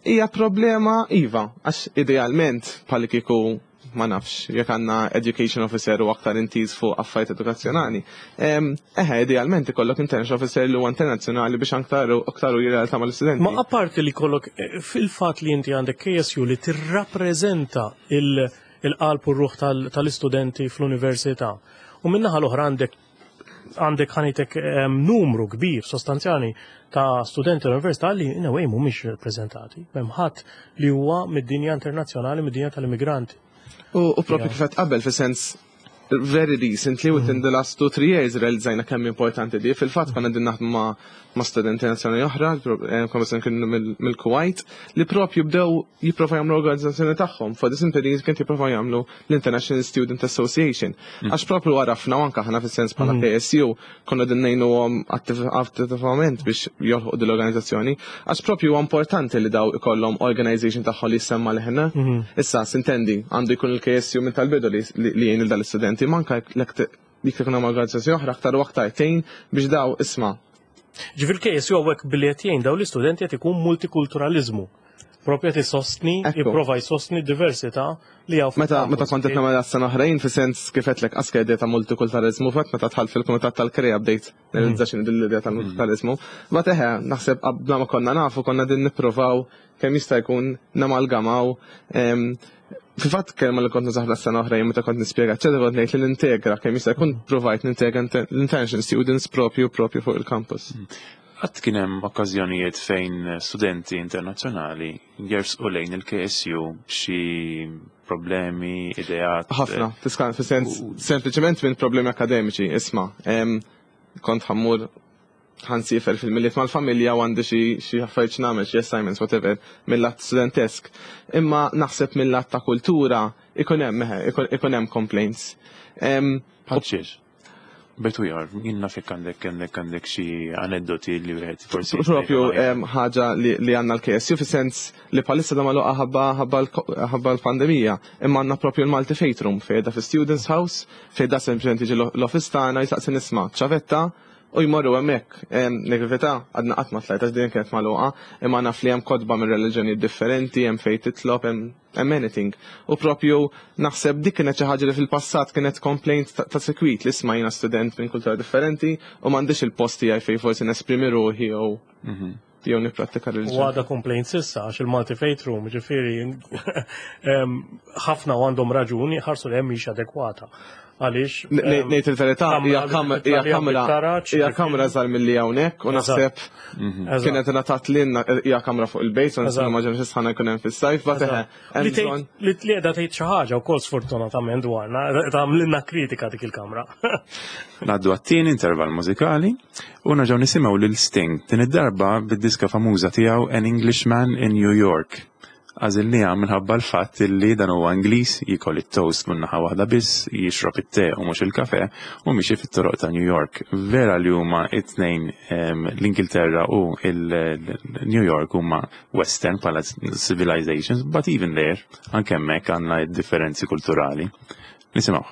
S3: Hija problema iva, għax idealment bħal kieku, ma nafx, jekk għandna education officer u aktar intiż fuq affarijiet edukazzjonali. Eħe, idealment ikollok international officer li huwa internazzjonali biex aktar u aktar u jirrelata mal-istudenti.
S2: Ma apparti li kollok fil-fatt li inti għandek KSU li tirrappreżenta il-qalb u r-ruħ tal-istudenti fl-università. U min-naħa l-oħra għandek ħanitek numru kbir sostanzjali ta' studenti l-università li in a way mhumiex rappreżentati. M'hemm ħadd li huwa mid-dinja internazzjonali, mid-dinja tal-immigranti.
S3: U propju kif qed qabel, fi sens very recently, within the last 2, 3 years, realizzajna kemm importanti di. Fil-fatt konna din naħdmu ma' studenti nazzjonali oħra, konna kienu mill-Kuwait, li propju bdew jipprova jagħmlu organizzazzjoni tagħhom. For the simple reason kien jipprova jagħmlu l-International Student Association. Għax propju għarafna u anke aħna fis-sens bħala KSU konna din ngħinuhom attivament biex jolħuq din l-organizzazzjoni. Għax propju huwa importanti li daw ikollhom organization tagħhom li jsemma leħna. Issa, sintendi, għandu jkun il-KSU minn tal-bidu li jgħin il-dal-istudenti, manka jekk ikun hemm organizzazzjoni oħra aktar u aktar tgħin biex daw isma'
S2: Ġifieri KSU hawnhekk billi qed jgħin daw l-istudenti qed ikun multikulturalizmu. Propju qed isostni, jipprova jsostni diversità li hawn
S3: Meta
S2: fil-kampus.
S3: Meta kont qed nagħmel sena oħrajn, fi sens kif qedlek aska idea ta' multikulturalizmu, fatt meta dħalt fil-kumitat tal-Krea bdejt nirrealizza x'inhi din l-idea tal-multikulturalizmu. Ma teħe, naħseb qabla ma konna nafu konna din nippruvaw kemm jista' jkun namalgamaw. Fil-fatt kelma li kont nużaha s-sena oħra jien meta kont nispjega, eċetera, kont ngħid li nintegra kemm jista' jkun, provajt nintegra l-international students propju fuq il-campus.
S1: Qatt kien hemm okkażjonijiet fejn studenti internazzjonali jersqu lejn il-KSU b'xi problemi, ideat?
S3: Ħafna, tiskan, fi sens sempliċement minn problemi akademiċi, isma', kont ħa mmur, ħa nsiefer fil-Milied mal-familja u għandi xi affarijiet x'nagħmel, xi assignments, whatever, mill-lat studentesk. Imma naħseb mill-lat ta' kultura ikun hemm eħe, ikun hemm complaints.
S1: Bħal xiex? Betu jar, jien naf jekk għandek xi aneddoti li wieħed forsi
S3: Propju
S1: jista'
S3: ħaġa li għandna l-KSU, fi sens li bħalissa da magħluqa ħabba l-pandemija, imma għandna propju l-Malti Faith Room fejn da fi Students House, fejn da sempliċement jiġi l-office tagħna jistaqsi nisma' ċavetta u jmorru hemmhekk. Negvità għadna qatt ma tlajt għax din kienet magħluqa, imma naf li hemm kotba minn reliġjonijiet differenti, hemm fejn titlob, hemm anything. U propju naħseb dik kienet xi ħaġa li fil-passat kienet complaint ta' sekwit li isma' jiena student minn kultura differenti u m'għandix il-post tiegħi fejn forsi nesprimi ruħi jew nipprattika
S2: U
S3: reliġjon.
S2: għada complaint s'issa għax il-Malti Faith Room, ġifieri, ħafna u għandhom raġuni ħarsu li hemm mhix adekwata. Għaliex
S3: Ngħid il-verità, hija
S2: kamra
S3: hija
S2: li
S3: kamra
S2: taraġ,
S3: hija kamra żgħar milli hawnhekk u naħseb kienet ingħatat lilna, hija kamra fuq il-bejt, u nimmaġina xi sħana jkun hemm fis-sajf, but eħe, hemm
S2: Li tgħid
S3: bżonn.
S2: li qiegħda tgħid xi ħaġa wkoll sfortunatament dwarna, tagħmlilna kritika dik il-kamra.
S1: Ngħaddu għat-tieni intervall mużikali u nerġgħu nisimgħu lil Sting din id-darba bid-diska famuża tiegħu An Englishman in New York. Għażilniha minħabba l-fatt li dan huwa Ingliż jiekol it-toast minn naħa waħda biss, jixrob it-te u mhux il-kafe u miexi fit-toroq ta' New York. Vera li huma it-tnejn l-Ingilterra u l-New York huma Western bħala civilizations, but even there, anke hemmhekk għandna differenzi kulturali. Nisimgħu.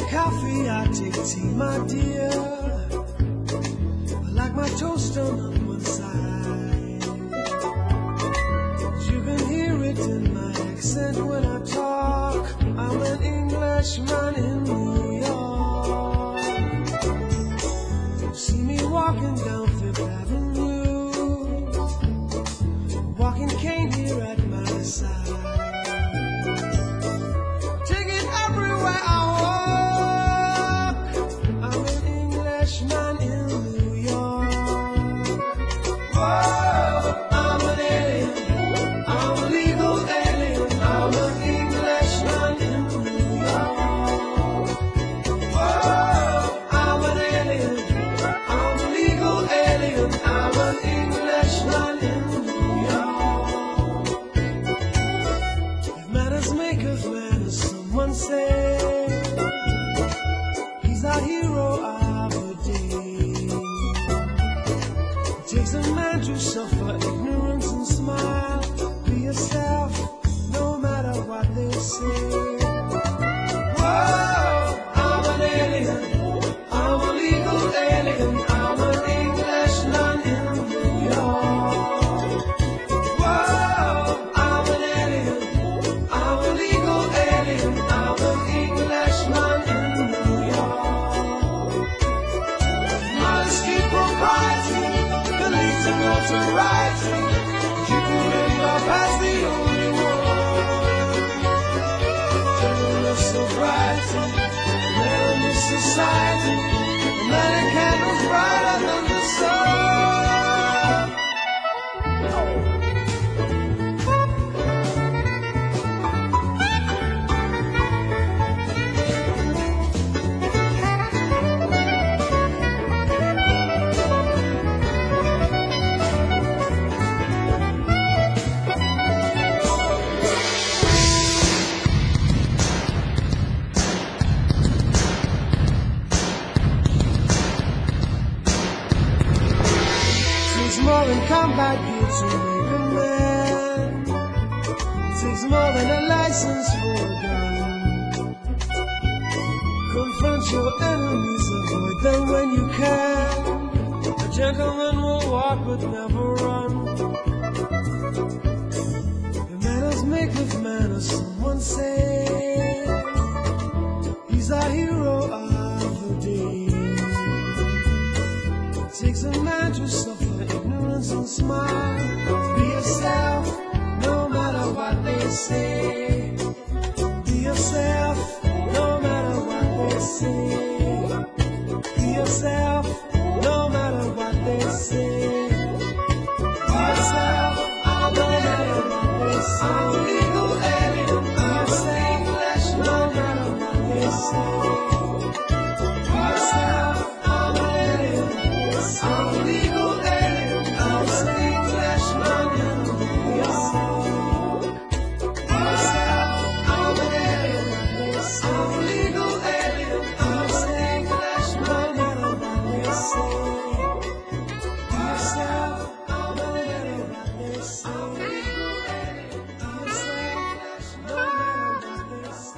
S5: Coffee, I take tea, my dear. I like my toast on one side. You can hear it in my accent when I talk. I'm an Englishman in New York. See me walking down Fifth Avenue, walking cane here at my side. Take it everywhere I walk. I'm an Englishman in New York. Whoa, I'm an alien. I'm a legal alien. I'm an Englishman in New York. Whoa, I'm an alien. I'm a legal alien. I'm an Englishman in New York. If manners maketh man, as someone said, he's our hero of the day. It takes a man to suffer ignorance and smile. Be yourself, no matter what they say. Whoa, I'm an alien. I'm a legal alien. I'm an Englishman in New York. Whoa, I'm an alien. I'm a legal alien. I'm an Englishman in New York. Modesty, propriety, can lead to notoriety. Keeping it up as the only one. General sobriety, man in this society, many candles brighter than the sun. Takes more than combat gear to make a man. Takes more than a license for a gun. Confront your enemies, avoid them when you can. A gentleman will walk but never run. The manners maketh man, as someone said. He's our hero of the day. It takes a man to suffer ignorance and smile. Be yourself, no matter what they say. Be yourself, no matter what they say. Be yourself, no matter what they say. Be yourself, no matter what they say. I'm a legal alien. I'm an English, no matter what they say. Be yourself, I'm an alien. I'm a legal alien. I'm an Englishman in New York. Be yourself, I'm an alien. I'm a legal alien. I'm an Englishman, no matter what they say. Be yourself, I'm an alien. I'm a legal alien. I'm an Englishman, no matter what they say.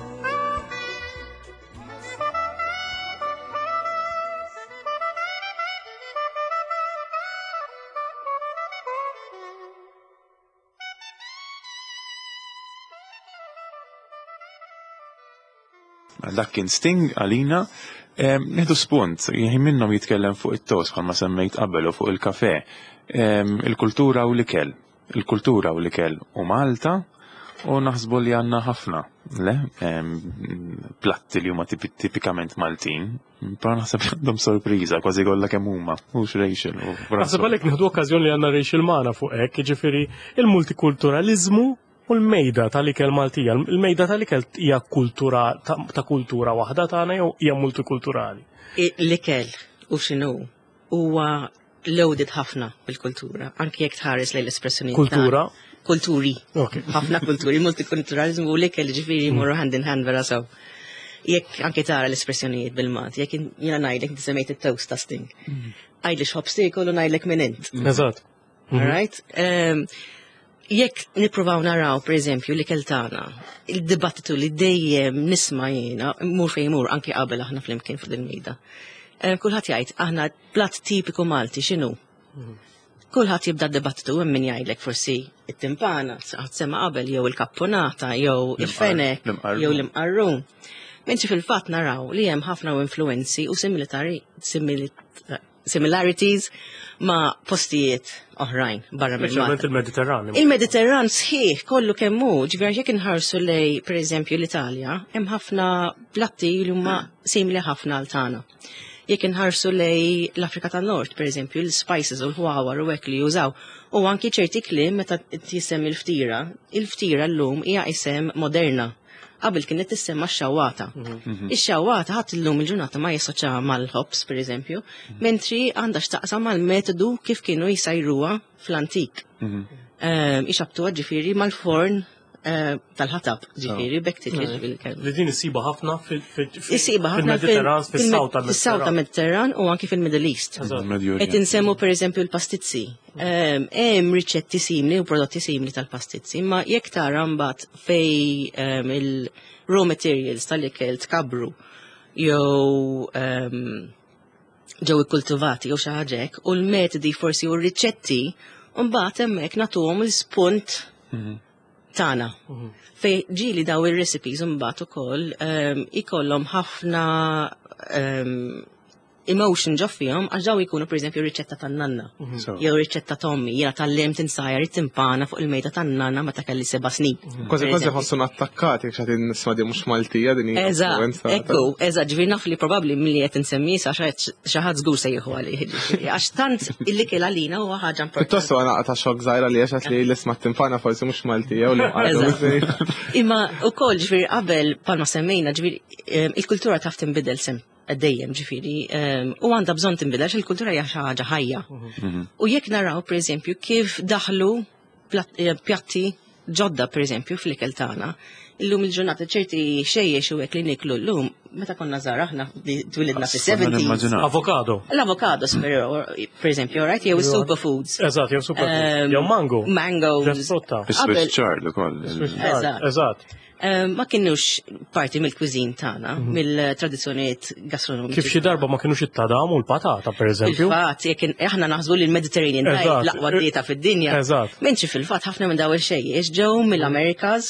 S1: Dak kien Sting għalina. Nieħdu spunt, jien minnhom jitkellem fuq it-toast bħalma semmejt qabel u fuq il-kafe. Il-kultura u l-ikel. Il-kultura u l-ikel u Malta u naħsbu li għandna ħafna Le, platti li huma tipikament Maltin, però naħseb li għandhom sorpriża kważi kollha kemm huma, mhux Rachel.
S2: Naħseb għalhekk nieħdu okkażjoni li għandna Rachel magħna fuq hekk, jiġifieri il-multikulturaliżmu u l-mejda tal-ikel Maltija. Il-mejda tal-ikel hija kultura ta' kultura waħda tagħna jew hija multikulturali?
S4: L-ikel u x'inhu huwa loaded ħafna bil-kultura, anki jekk tħares lejn l-espressjoni.
S2: Kultura?
S4: Kulturi. Ħafna kulturi, multikulturalizmu u l-ikel ġifieri jmorru hand in hand vera sew. Jekk anki tara l-espressjonijiet bil-Malti, jekk jiena ngħidlek inti semmejt it-toast tasting. Għidli x'ħobż tiekol u ngħidlek min int.
S2: Eżatt.
S4: All right? Jekk nippruvaw naraw, per eżempju, l-ikel tagħna, il-dibattitu li dejjem nisma' jiena, mur fejn mur anki qabel aħna flimkien fuq il-mejda. Kulħadd jgħid aħna platt tipiku Malti x'inhu? Kulħadd jibda d-dibattitu hemm min jgħidlek forsi it-timpana, ħadd sema qabel jew il-kappunata jew il-fenek jew l-imqarrun. Mentri fil-fatt naraw li hemm ħafna influenzi u similarities ma' postijiet oħrajn barra minn
S2: Malta. il-Mediterran.
S4: Il-Mediterran sħiħ kollu kemm hu, ġifieri jekk inħarsu lej pereżempju l-Italja, hemm ħafna platti li huma simili ħafna għal tagħna. Jekk inħarsu lej l-Afrika tan-Nord, pereżempju, l-spices u l-ħwawar u hekk li jużaw, u anki ċerti kliem meta tisem il-ftira, il-ftira llum hija isem moderna. Qabel kienet tissemma x-xawata. Ix-xawata ħadd illum il-ġurnata ma jassoċja mal-ħobż, pereżempju, mentri għandha x'taqsam mal-metodu kif kienu jsajruha fl-antik. Ixabtuha ġifieri mal-forn tal-ħatab, ġifieri bekk titliġ bil-kelma.
S2: Li din issiba ħafna fil-Mediterran, fis-South
S4: tal-Mediterran. tal-Mediterran u anki fil-Middle East. Qed insemmu pereżempju l-pastizzi. Hemm riċetti simili u prodotti simili tal-pastizzi, imma jekk tara mbagħad fej il-raw materials tal-ikel tkabru jew ġew ikkultivati jew xi ħaġa hekk, u l-metodi forsi u r-riċetti mbagħad hemmhekk nagħtuhom l-spunt tagħna. Fej ġieli daw ir-recipes mbagħad ukoll ikollhom ħafna emotion ġo fihom għax daw ikunu pereżempju riċetta tan-nanna jew riċetta t'ommi, jiena tgħallimt insajjar it-timpana fuq il-mejda tan-nanna meta kelli 7 snin.
S3: Kważi kważi ħossuna attakkati jekk xi nisma' di mhux Maltija din hija
S4: Eżatt, ekku, eżatt, ġifieri naf li probabbli milli qed insemmi sa xi ħadd żgur se jieħu għalih, ġifieri, għax tant il-ikel għalina huwa ħaġa importanti.
S3: Pjuttost huwa naqta' xokk żgħira li għax li l-isma' timpana forsi mhux Maltija u li
S4: Imma wkoll ġifieri qabel palma semmejna ġifieri il-kultura taf tinbidel sem dejjem ġifieri, u għandha bżonn tinbidel għax il-kultura hija xi ħaġa ħajja. U jekk naraw pereżempju kif daħlu pjatti ġodda pereżempju fl-ikel tagħna, illum il-ġurnata ċerti xejjex u hekk li niklu llum, meta konna żgħar aħna li twilidna fis-70s.
S2: Avokado.
S4: L-avokado, pereżempju, right? Jew superfoods.
S2: Eżatt, jew superfoods. Jew mango.
S4: Mangoes.
S2: Frutta.
S1: Swiss chard ukoll.
S4: Eżatt.
S2: Eżatt.
S4: Ma kienux parti mill-cuisine tagħna, mill-tradizzjonijiet gastronomiċi.
S2: Kif xi darba ma kienux it-tadam u l-patata, pereżempju.
S4: Fil-fatt, jekk aħna naħsbu li l-Mediterranean diet l-aqwa dieta fid-dinja. Mentri fil-fatt ħafna minn daw il-xejjex ġew mill-Amerikas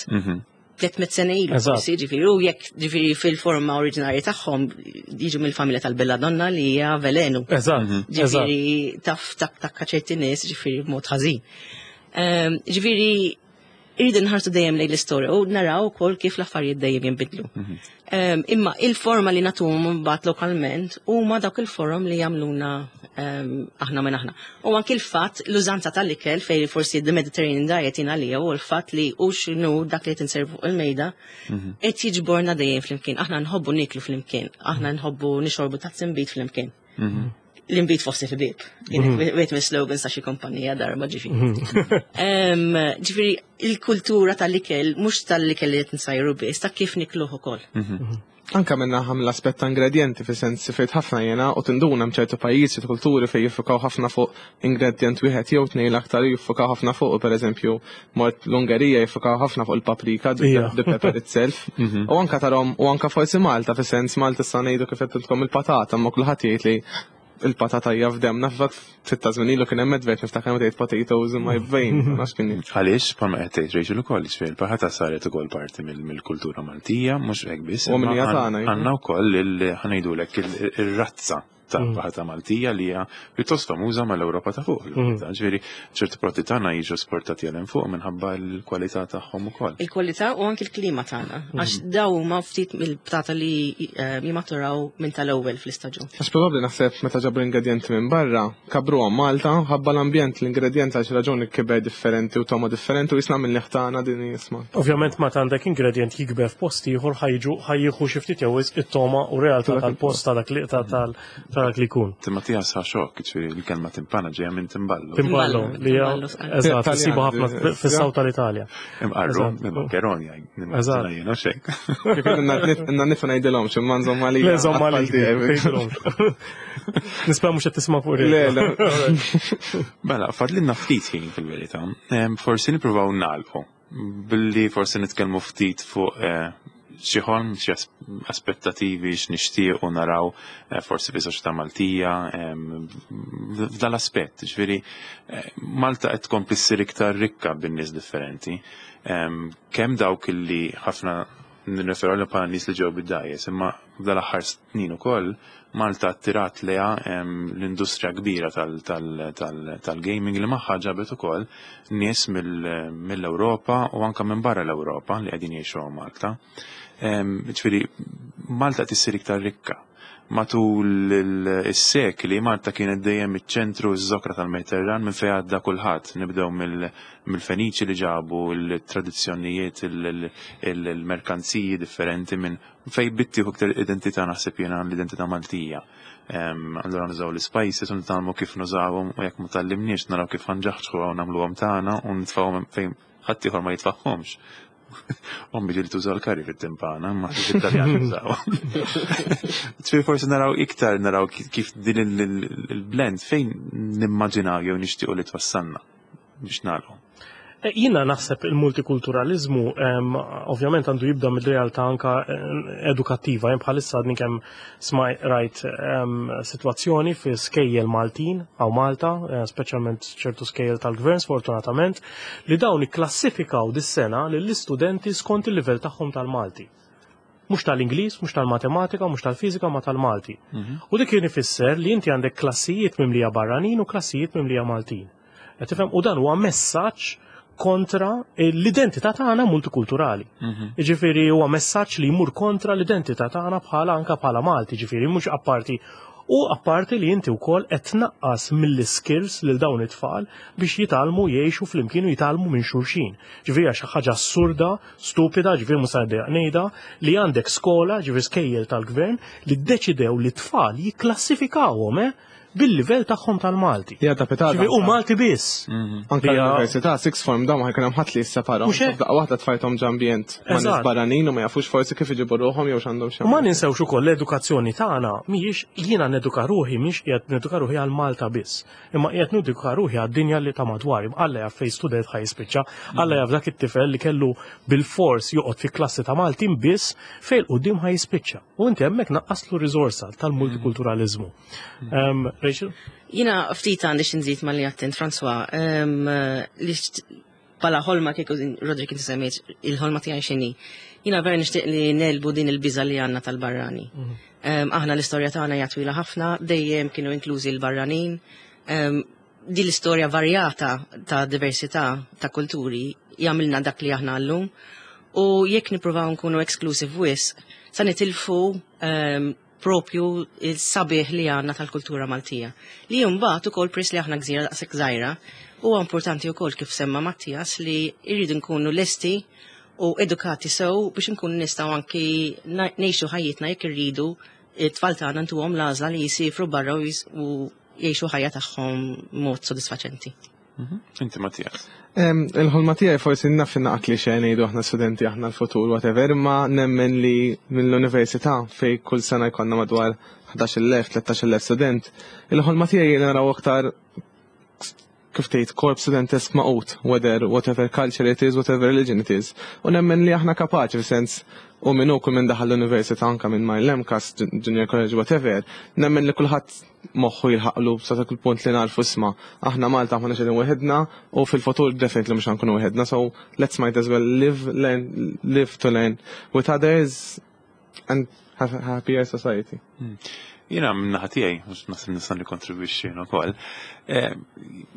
S4: 300 sena ilu, forsi, ġifieri, u jekk ġifieri fil-forma oriġinarja tagħhom jiġu mill-familja tal-belladonna li hija velenu. Ġifieri taf takka ċerti nies ġifieri b'mod ħażin. Ġifieri irridu nħarsu dejjem lejn l-istorja u naraw ukoll kif l-affarijiet dejjem jinbidlu. Imma il-forma li nagħtuhom mbagħad lokalment huma dawk il-forom li jagħmluna aħna minn aħna. U anki l-fatt l-użanza tal-ikel fejn forsi the Mediterranean diet jien għalija u l-fatt li u x'inhu dak li qed inservu fuq il-mejda qed jiġborna dejjem flimkien. Aħna nħobbu nieklu flimkien, aħna nħobbu nixorbu tazz inbid flimkien. L-inbid fost il-ħbieb. Wieħed minn slogans ta' xi kumpanija darba ġifieri. Ġifieri il-kultura tal-ikel mhux tal-ikel li qed nsajru biss, ta' kif nikluh ukoll.
S3: Anka minna ħam l-aspett ta' ingredienti fi sens fejt ħafna jena u tinduna mċertu pajjiżi u kulturi fejn jiffukaw ħafna fuq ingredient wieħed jew tnejn l-aktar jiffukaw ħafna fuq, per eżempju, mort l-Ungerija jiffukaw ħafna fuq il-paprika, the pepper itself. U anka tarom, u anka forsi Malta, fi sens Malta sa ngħidu kif qed tilkom il-patata, ma kulħadd jgħid li il-patata hija f'demna, fil-fatt ftit ta' żmien ilu kien hemm advert niftakar meta jgħid potatoes in my vein, ma nafx kien jgħid.
S1: Għaliex, bħalma qed tgħid Rachel ukoll, ġifieri il-patata saret ukoll parti mill-kultura Maltija, mhux hekk biss,
S3: U
S1: imma
S3: minja tagħna, iva.
S1: għandna wkoll ħa ngħidulek ir-razza. ta' patata Maltija li hija pjuttost famuża mal-Ewropa ta' fuq. Ġifieri ċertu prodotti tagħna jiġu esportati għal hemm fuq minħabba l-kwalità tagħhom ukoll.
S4: Il-kwalità u anki l-klima tagħna, għax daw huma ftit mill-patata li jimaturaw minn tal-ewwel fl-istaġun.
S3: Għax probabbli naħseb meta ġabru ingredjenti minn barra, kabruhom Malta, ħabba l-ambjent l-ingredjent għal xi raġuni kiber differenti u togħma differenti u jisna minn tagħna din jisma.
S2: Ovvjament meta għandek ingredjent jikber f'post ieħor ħa jiġu ħa jieħu xi ftit jew wisq it-togħma u realtà tal-post ta' dak li ta' tal ta' dak li jkun.
S1: Mattias ħa xokk, ġifieri l-kelma timpana ġejja minn timballo.
S2: Timballo li hija
S4: Timballo, sqar.
S2: Eżatt,
S3: Taljan,
S2: isibu ħafna fis-South tal-Italja.
S1: Imqarru, minn maccheroni,
S2: Eżatt.
S1: jiena xejn.
S3: Inna nifu ngħidilhom x'imma nżomm għalija.
S2: Le, żomm għalik.
S3: Għal-tiegħi.
S2: Nispera mhux qed tisma' fuq
S3: Le, le.
S1: Mela, fadlinna ftit ħin fil-verità. Forsi nippruvaw nagħlqu billi forsi nitkellmu ftit fuq xi ħolm, xi aspettativi x'nixtiequ naraw forsi fi soċjetà Maltija f'dal aspett. Ġifieri Malta qed tkompli ssir iktar rikka bin-nies differenti. Kemm dawk illi ħafna nirreferu għalihom bħala nies li ġew bid-dgħajjes, imma f'dal-aħħar snin ukoll Malta attirat leha l-industrija kbira tal-gaming li magħha ġabet ukoll nies mill-Ewropa u anke minn barra l-Ewropa li qegħdin jgħixu hawn Malta. Ġifieri Malta qed issir iktar rikka. Matul is-sekli Malta kienet dejjem iċ-ċentru ż-żokra tal-Mediterran minn fejn għadda kulħadd. Nibdew mill-Feniċi li ġabu l-tradizzjonijiet, il-merkanziji differenti minn fej bittieħu iktar identità naħseb jiena l-identità Maltija. Allura nużaw l-spices u nitgħallmu kif nużawhom u jekk ma tgħallimniex naraw kif ħa nġaħġħu u nagħmluhom tagħna u nitfgħuhom fejn ħadd ieħor ma jitfaħħomx. Ommi ġieli tuża l-curry fit-timpana, ma it-Taljan jużaw. Ġifieri forsi naraw iktar naraw kif din il-blend fejn nimmaġinaw jew nixtiequ li twassalna biex nagħlqu.
S2: Jiena naħseb il-multikulturalizmu ovvjament għandu jibda mid-realtà anka edukattiva. Jien bħalissa għadni kemm smaj rajt sitwazzjoni fi skejjel Maltin hawn Malta, speċjalment ċertu skejjel tal-gvern sfortunatament, li dawn ikklassifikaw dis-sena lill-istudenti skont il-livell tagħhom tal-Malti. Mhux tal-Ingliż, mhux tal-matematika, mhux tal-fiżika, ma tal-Malti. U dik kien ifisser li inti għandek klassijiet mimlija barranin u klassijiet mimlija Maltin. Qed tifhem? U dan huwa messaġġ kontra l-identità tagħna multikulturali. Jiġifieri huwa messaġġ li jmur kontra l-identità tagħna bħala anka bħala Malti, jiġifieri mhux apparti. U apparti li inti wkoll qed tnaqqas mill-skills lil dawn it-tfal biex jitgħallmu jgħixu flimkien u jitgħallmu minn xulxin. Ġifieri hija xi ħaġa assurda, stupida, ġifieri mhux se ngħidha, li għandek skola, ġifieri skejjel tal-gvern, li ddeċidew li t-tfal jikklassifikawhom bil-livell tagħhom tal-Malti.
S3: Ja, ta' petata.
S2: Ġifieri u Malti biss.
S3: Anka l-università, sixth form, dawn ma jkun hemm ħadd li jisseparaw.
S2: Mhux hekk?
S3: Daqqa waħda tfajthom ġ'ambjent ma' nies barranin u ma jafux forsi kif iġibu ruħhom jew x'għandhom xi
S2: U ma ninsewx ukoll l-edukazzjoni tagħna mhijiex jiena neduka ruħi, mhix qiegħed neduka ruħi għal Malta biss, imma qiegħed neduka ruħi għad-dinja li ta' madwari. Alla jaf fejn student ħa jispiċċa, Alla jaf dak it-tifel li kellu bil-fors joqgħod fi klassi ta' Maltin biss fejn quddiem ħa jispiċċa. U inti hemmhekk naqqaslu riżorsa tal-multikulturalizmu. Rachel?
S4: Jiena ftit għandi xi nżid ma li għattent, François, li bħala ħolma kieku Roderick inti semmejt il-ħolma tiegħi x'inhi. Jiena vera nixtieq li nelbu din il-biża li għandna tal-barrani. Aħna l-istorja tagħna hija twila ħafna, dejjem kienu inklużi l-barranin. Din l-istorja varjata ta' diversità ta' kulturi jagħmilna dak li aħna llum. U jekk nippruvaw nkunu exclusive wisq, sa nitilfu propju il-sabiħ li għandna tal-kultura Maltija. Li mbagħad ukoll pris li aħna gżira daqshekk żgħira, huwa importanti wkoll kif semma Mattias li rridu nkunu lesti u edukati sew biex nkunu nistgħu anki ngħixu ħajjitna jekk irridu it-tfal tagħna ntuhom l-għażla li jisifru barra u jgħixu ħajja tagħhom mod sodisfaċenti.
S1: Inti Mattias.
S3: Il-ħolma tiegħi forsi naf naqat li xejn ngħidu aħna studenti aħna l-futur whatever, imma nemmen li mill-università fej kull sena jkollna madwar 11,000, 13,000 student, il-ħolma tiegħi li naraw aktar kif tgħid korp studentesk magħqud, whether whatever culture it is, whatever religion it is. U nemmen li aħna kapaċi f'sens u minn u kull minn daħal l-università anka minn ma l-MCAST, junior college, whatever, nemmen li kulħadd moħħu jilħaqlu sa dak il-punt li narfu isma' aħna Malta aħna xedin weħedna u fil-futur definitely mhux ħankunu weħedna, so let's might as well live, learn, live to learn with others and have a happier society.
S1: Jiena min-naħa tiegħi, mhux naħseb nista' nikkontribwixxi jien ukoll. Eh,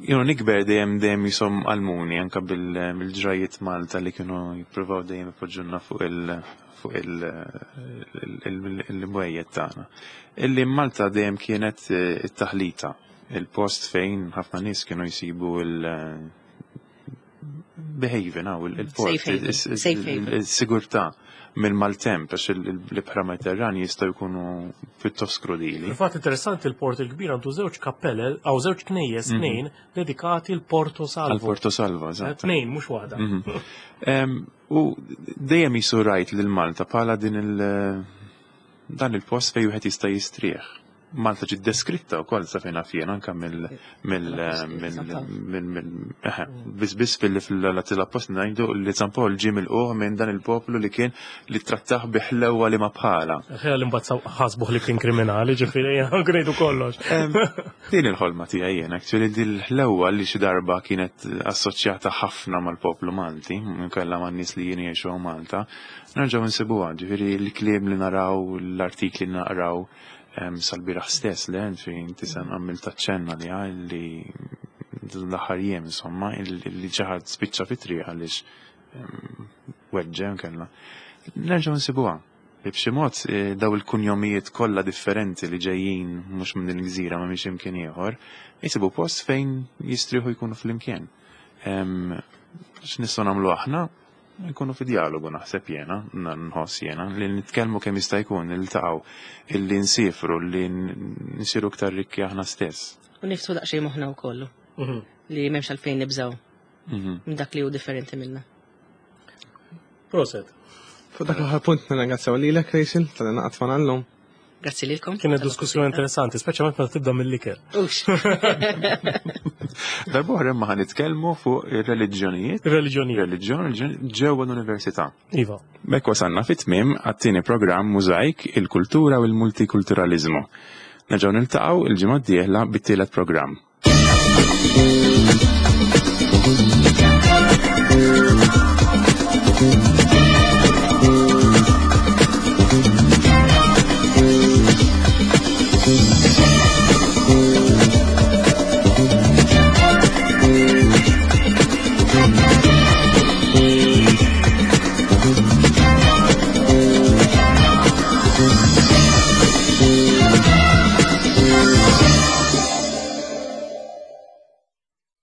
S1: jiena nikber dejjem dejjem jisom għalmuni anke bil-ġrajiet Malta li kienu jippruvaw dejjem ipoġġulna fuq il- fuq il-mwejjed tagħna. Illi Malta dejjem kienet eh, it-taħlita, il-post fejn ħafna nies kienu jsibu il- behaven, il-port, il-sigurtà mill-maltemp, għax l-ibħra Mediterrani jistgħu jkunu pjuttost krudili.
S2: Fil-fatt interessanti l-Port il-Kbir għandu żewġ kappellel, għaw żewġ knejjes, mhm. tnejn, dedikati l-Porto Salvo.
S1: Għal-Porto Salvo, eżatt.
S2: Eh, tnejn, mhux waħda.
S1: Mhm. U dejjem jisu rajt lil Malta bħala din il- dan il-post fejn wieħed jista' jistrieħ. Malta ġiet deskritta wkoll sa fejn naf jien anke mill mill mill biss biss fil fil-appost ngħidu li San Pawl ġie milquh minn dan il-poplu li kien li trattah bi ħlewwa li ma bħala.
S2: Ħela li mbagħad ħasbuh li kien kriminali, ġifieri ngħidu kollox.
S1: Din il-ħolma tiegħi jien, actually din il-ħlewwa li xi darba kienet assoċjata ħafna mal-poplu Malti, minkella man-nies li jien jgħixu Malta, nerġgħu nsibuha, ġifieri l-kliem li naraw, l-artikli li naqraw, sal-bieraħ stess le fejn inti se għamil taċċenna li li l-aħħar jiem insomma li xi ħadd spiċċa fit-triq għaliex weġġe kellna. Nerġgħu nsibuha. B'xi mod eh, daw il-kunjomijiet kollha differenti li ġejjin mhux minn din il-gżira ma minn imkien ieħor, jisibu post fejn jistrieħu jkunu flimkien. X'nistgħu nagħmlu aħna? Nkunu fi dialogu naħseb jena, nħoss jena, li nitkellmu kemm jista' jkun, niltaqgħu, illi nsifru, li nsiru iktar rikki aħna stess.
S4: U niftu daqsxejn moħħna wkoll. Mhm. Li m'hemmx għalfejn nibżgħu. Mhm. Minn dak li hu differenti minna.
S2: Proset.
S3: Fuq dak l-aħħar punt nirringrazzjaw lilek Rachel tal-li naqgħod llum.
S4: Grazzi lilkom.
S2: Kienet diskussjoni interessanti, speċjalment meta tibda mill-ikel.
S4: Ux.
S1: Darb'oħra imma ħa nitkellmu fuq ir-reliġjonijiet.
S2: Ir-reliġjonijiet.
S1: Reliġjon ġewwa l-università.
S2: Iva.
S1: B'hekk wasalna fit-tmiem għat-tieni programm Mużajk, il-kultura u l-multikulturaliżmu. Nerġgħu niltaqgħu il-ġimgħa d-dieħla bit-tielet programm.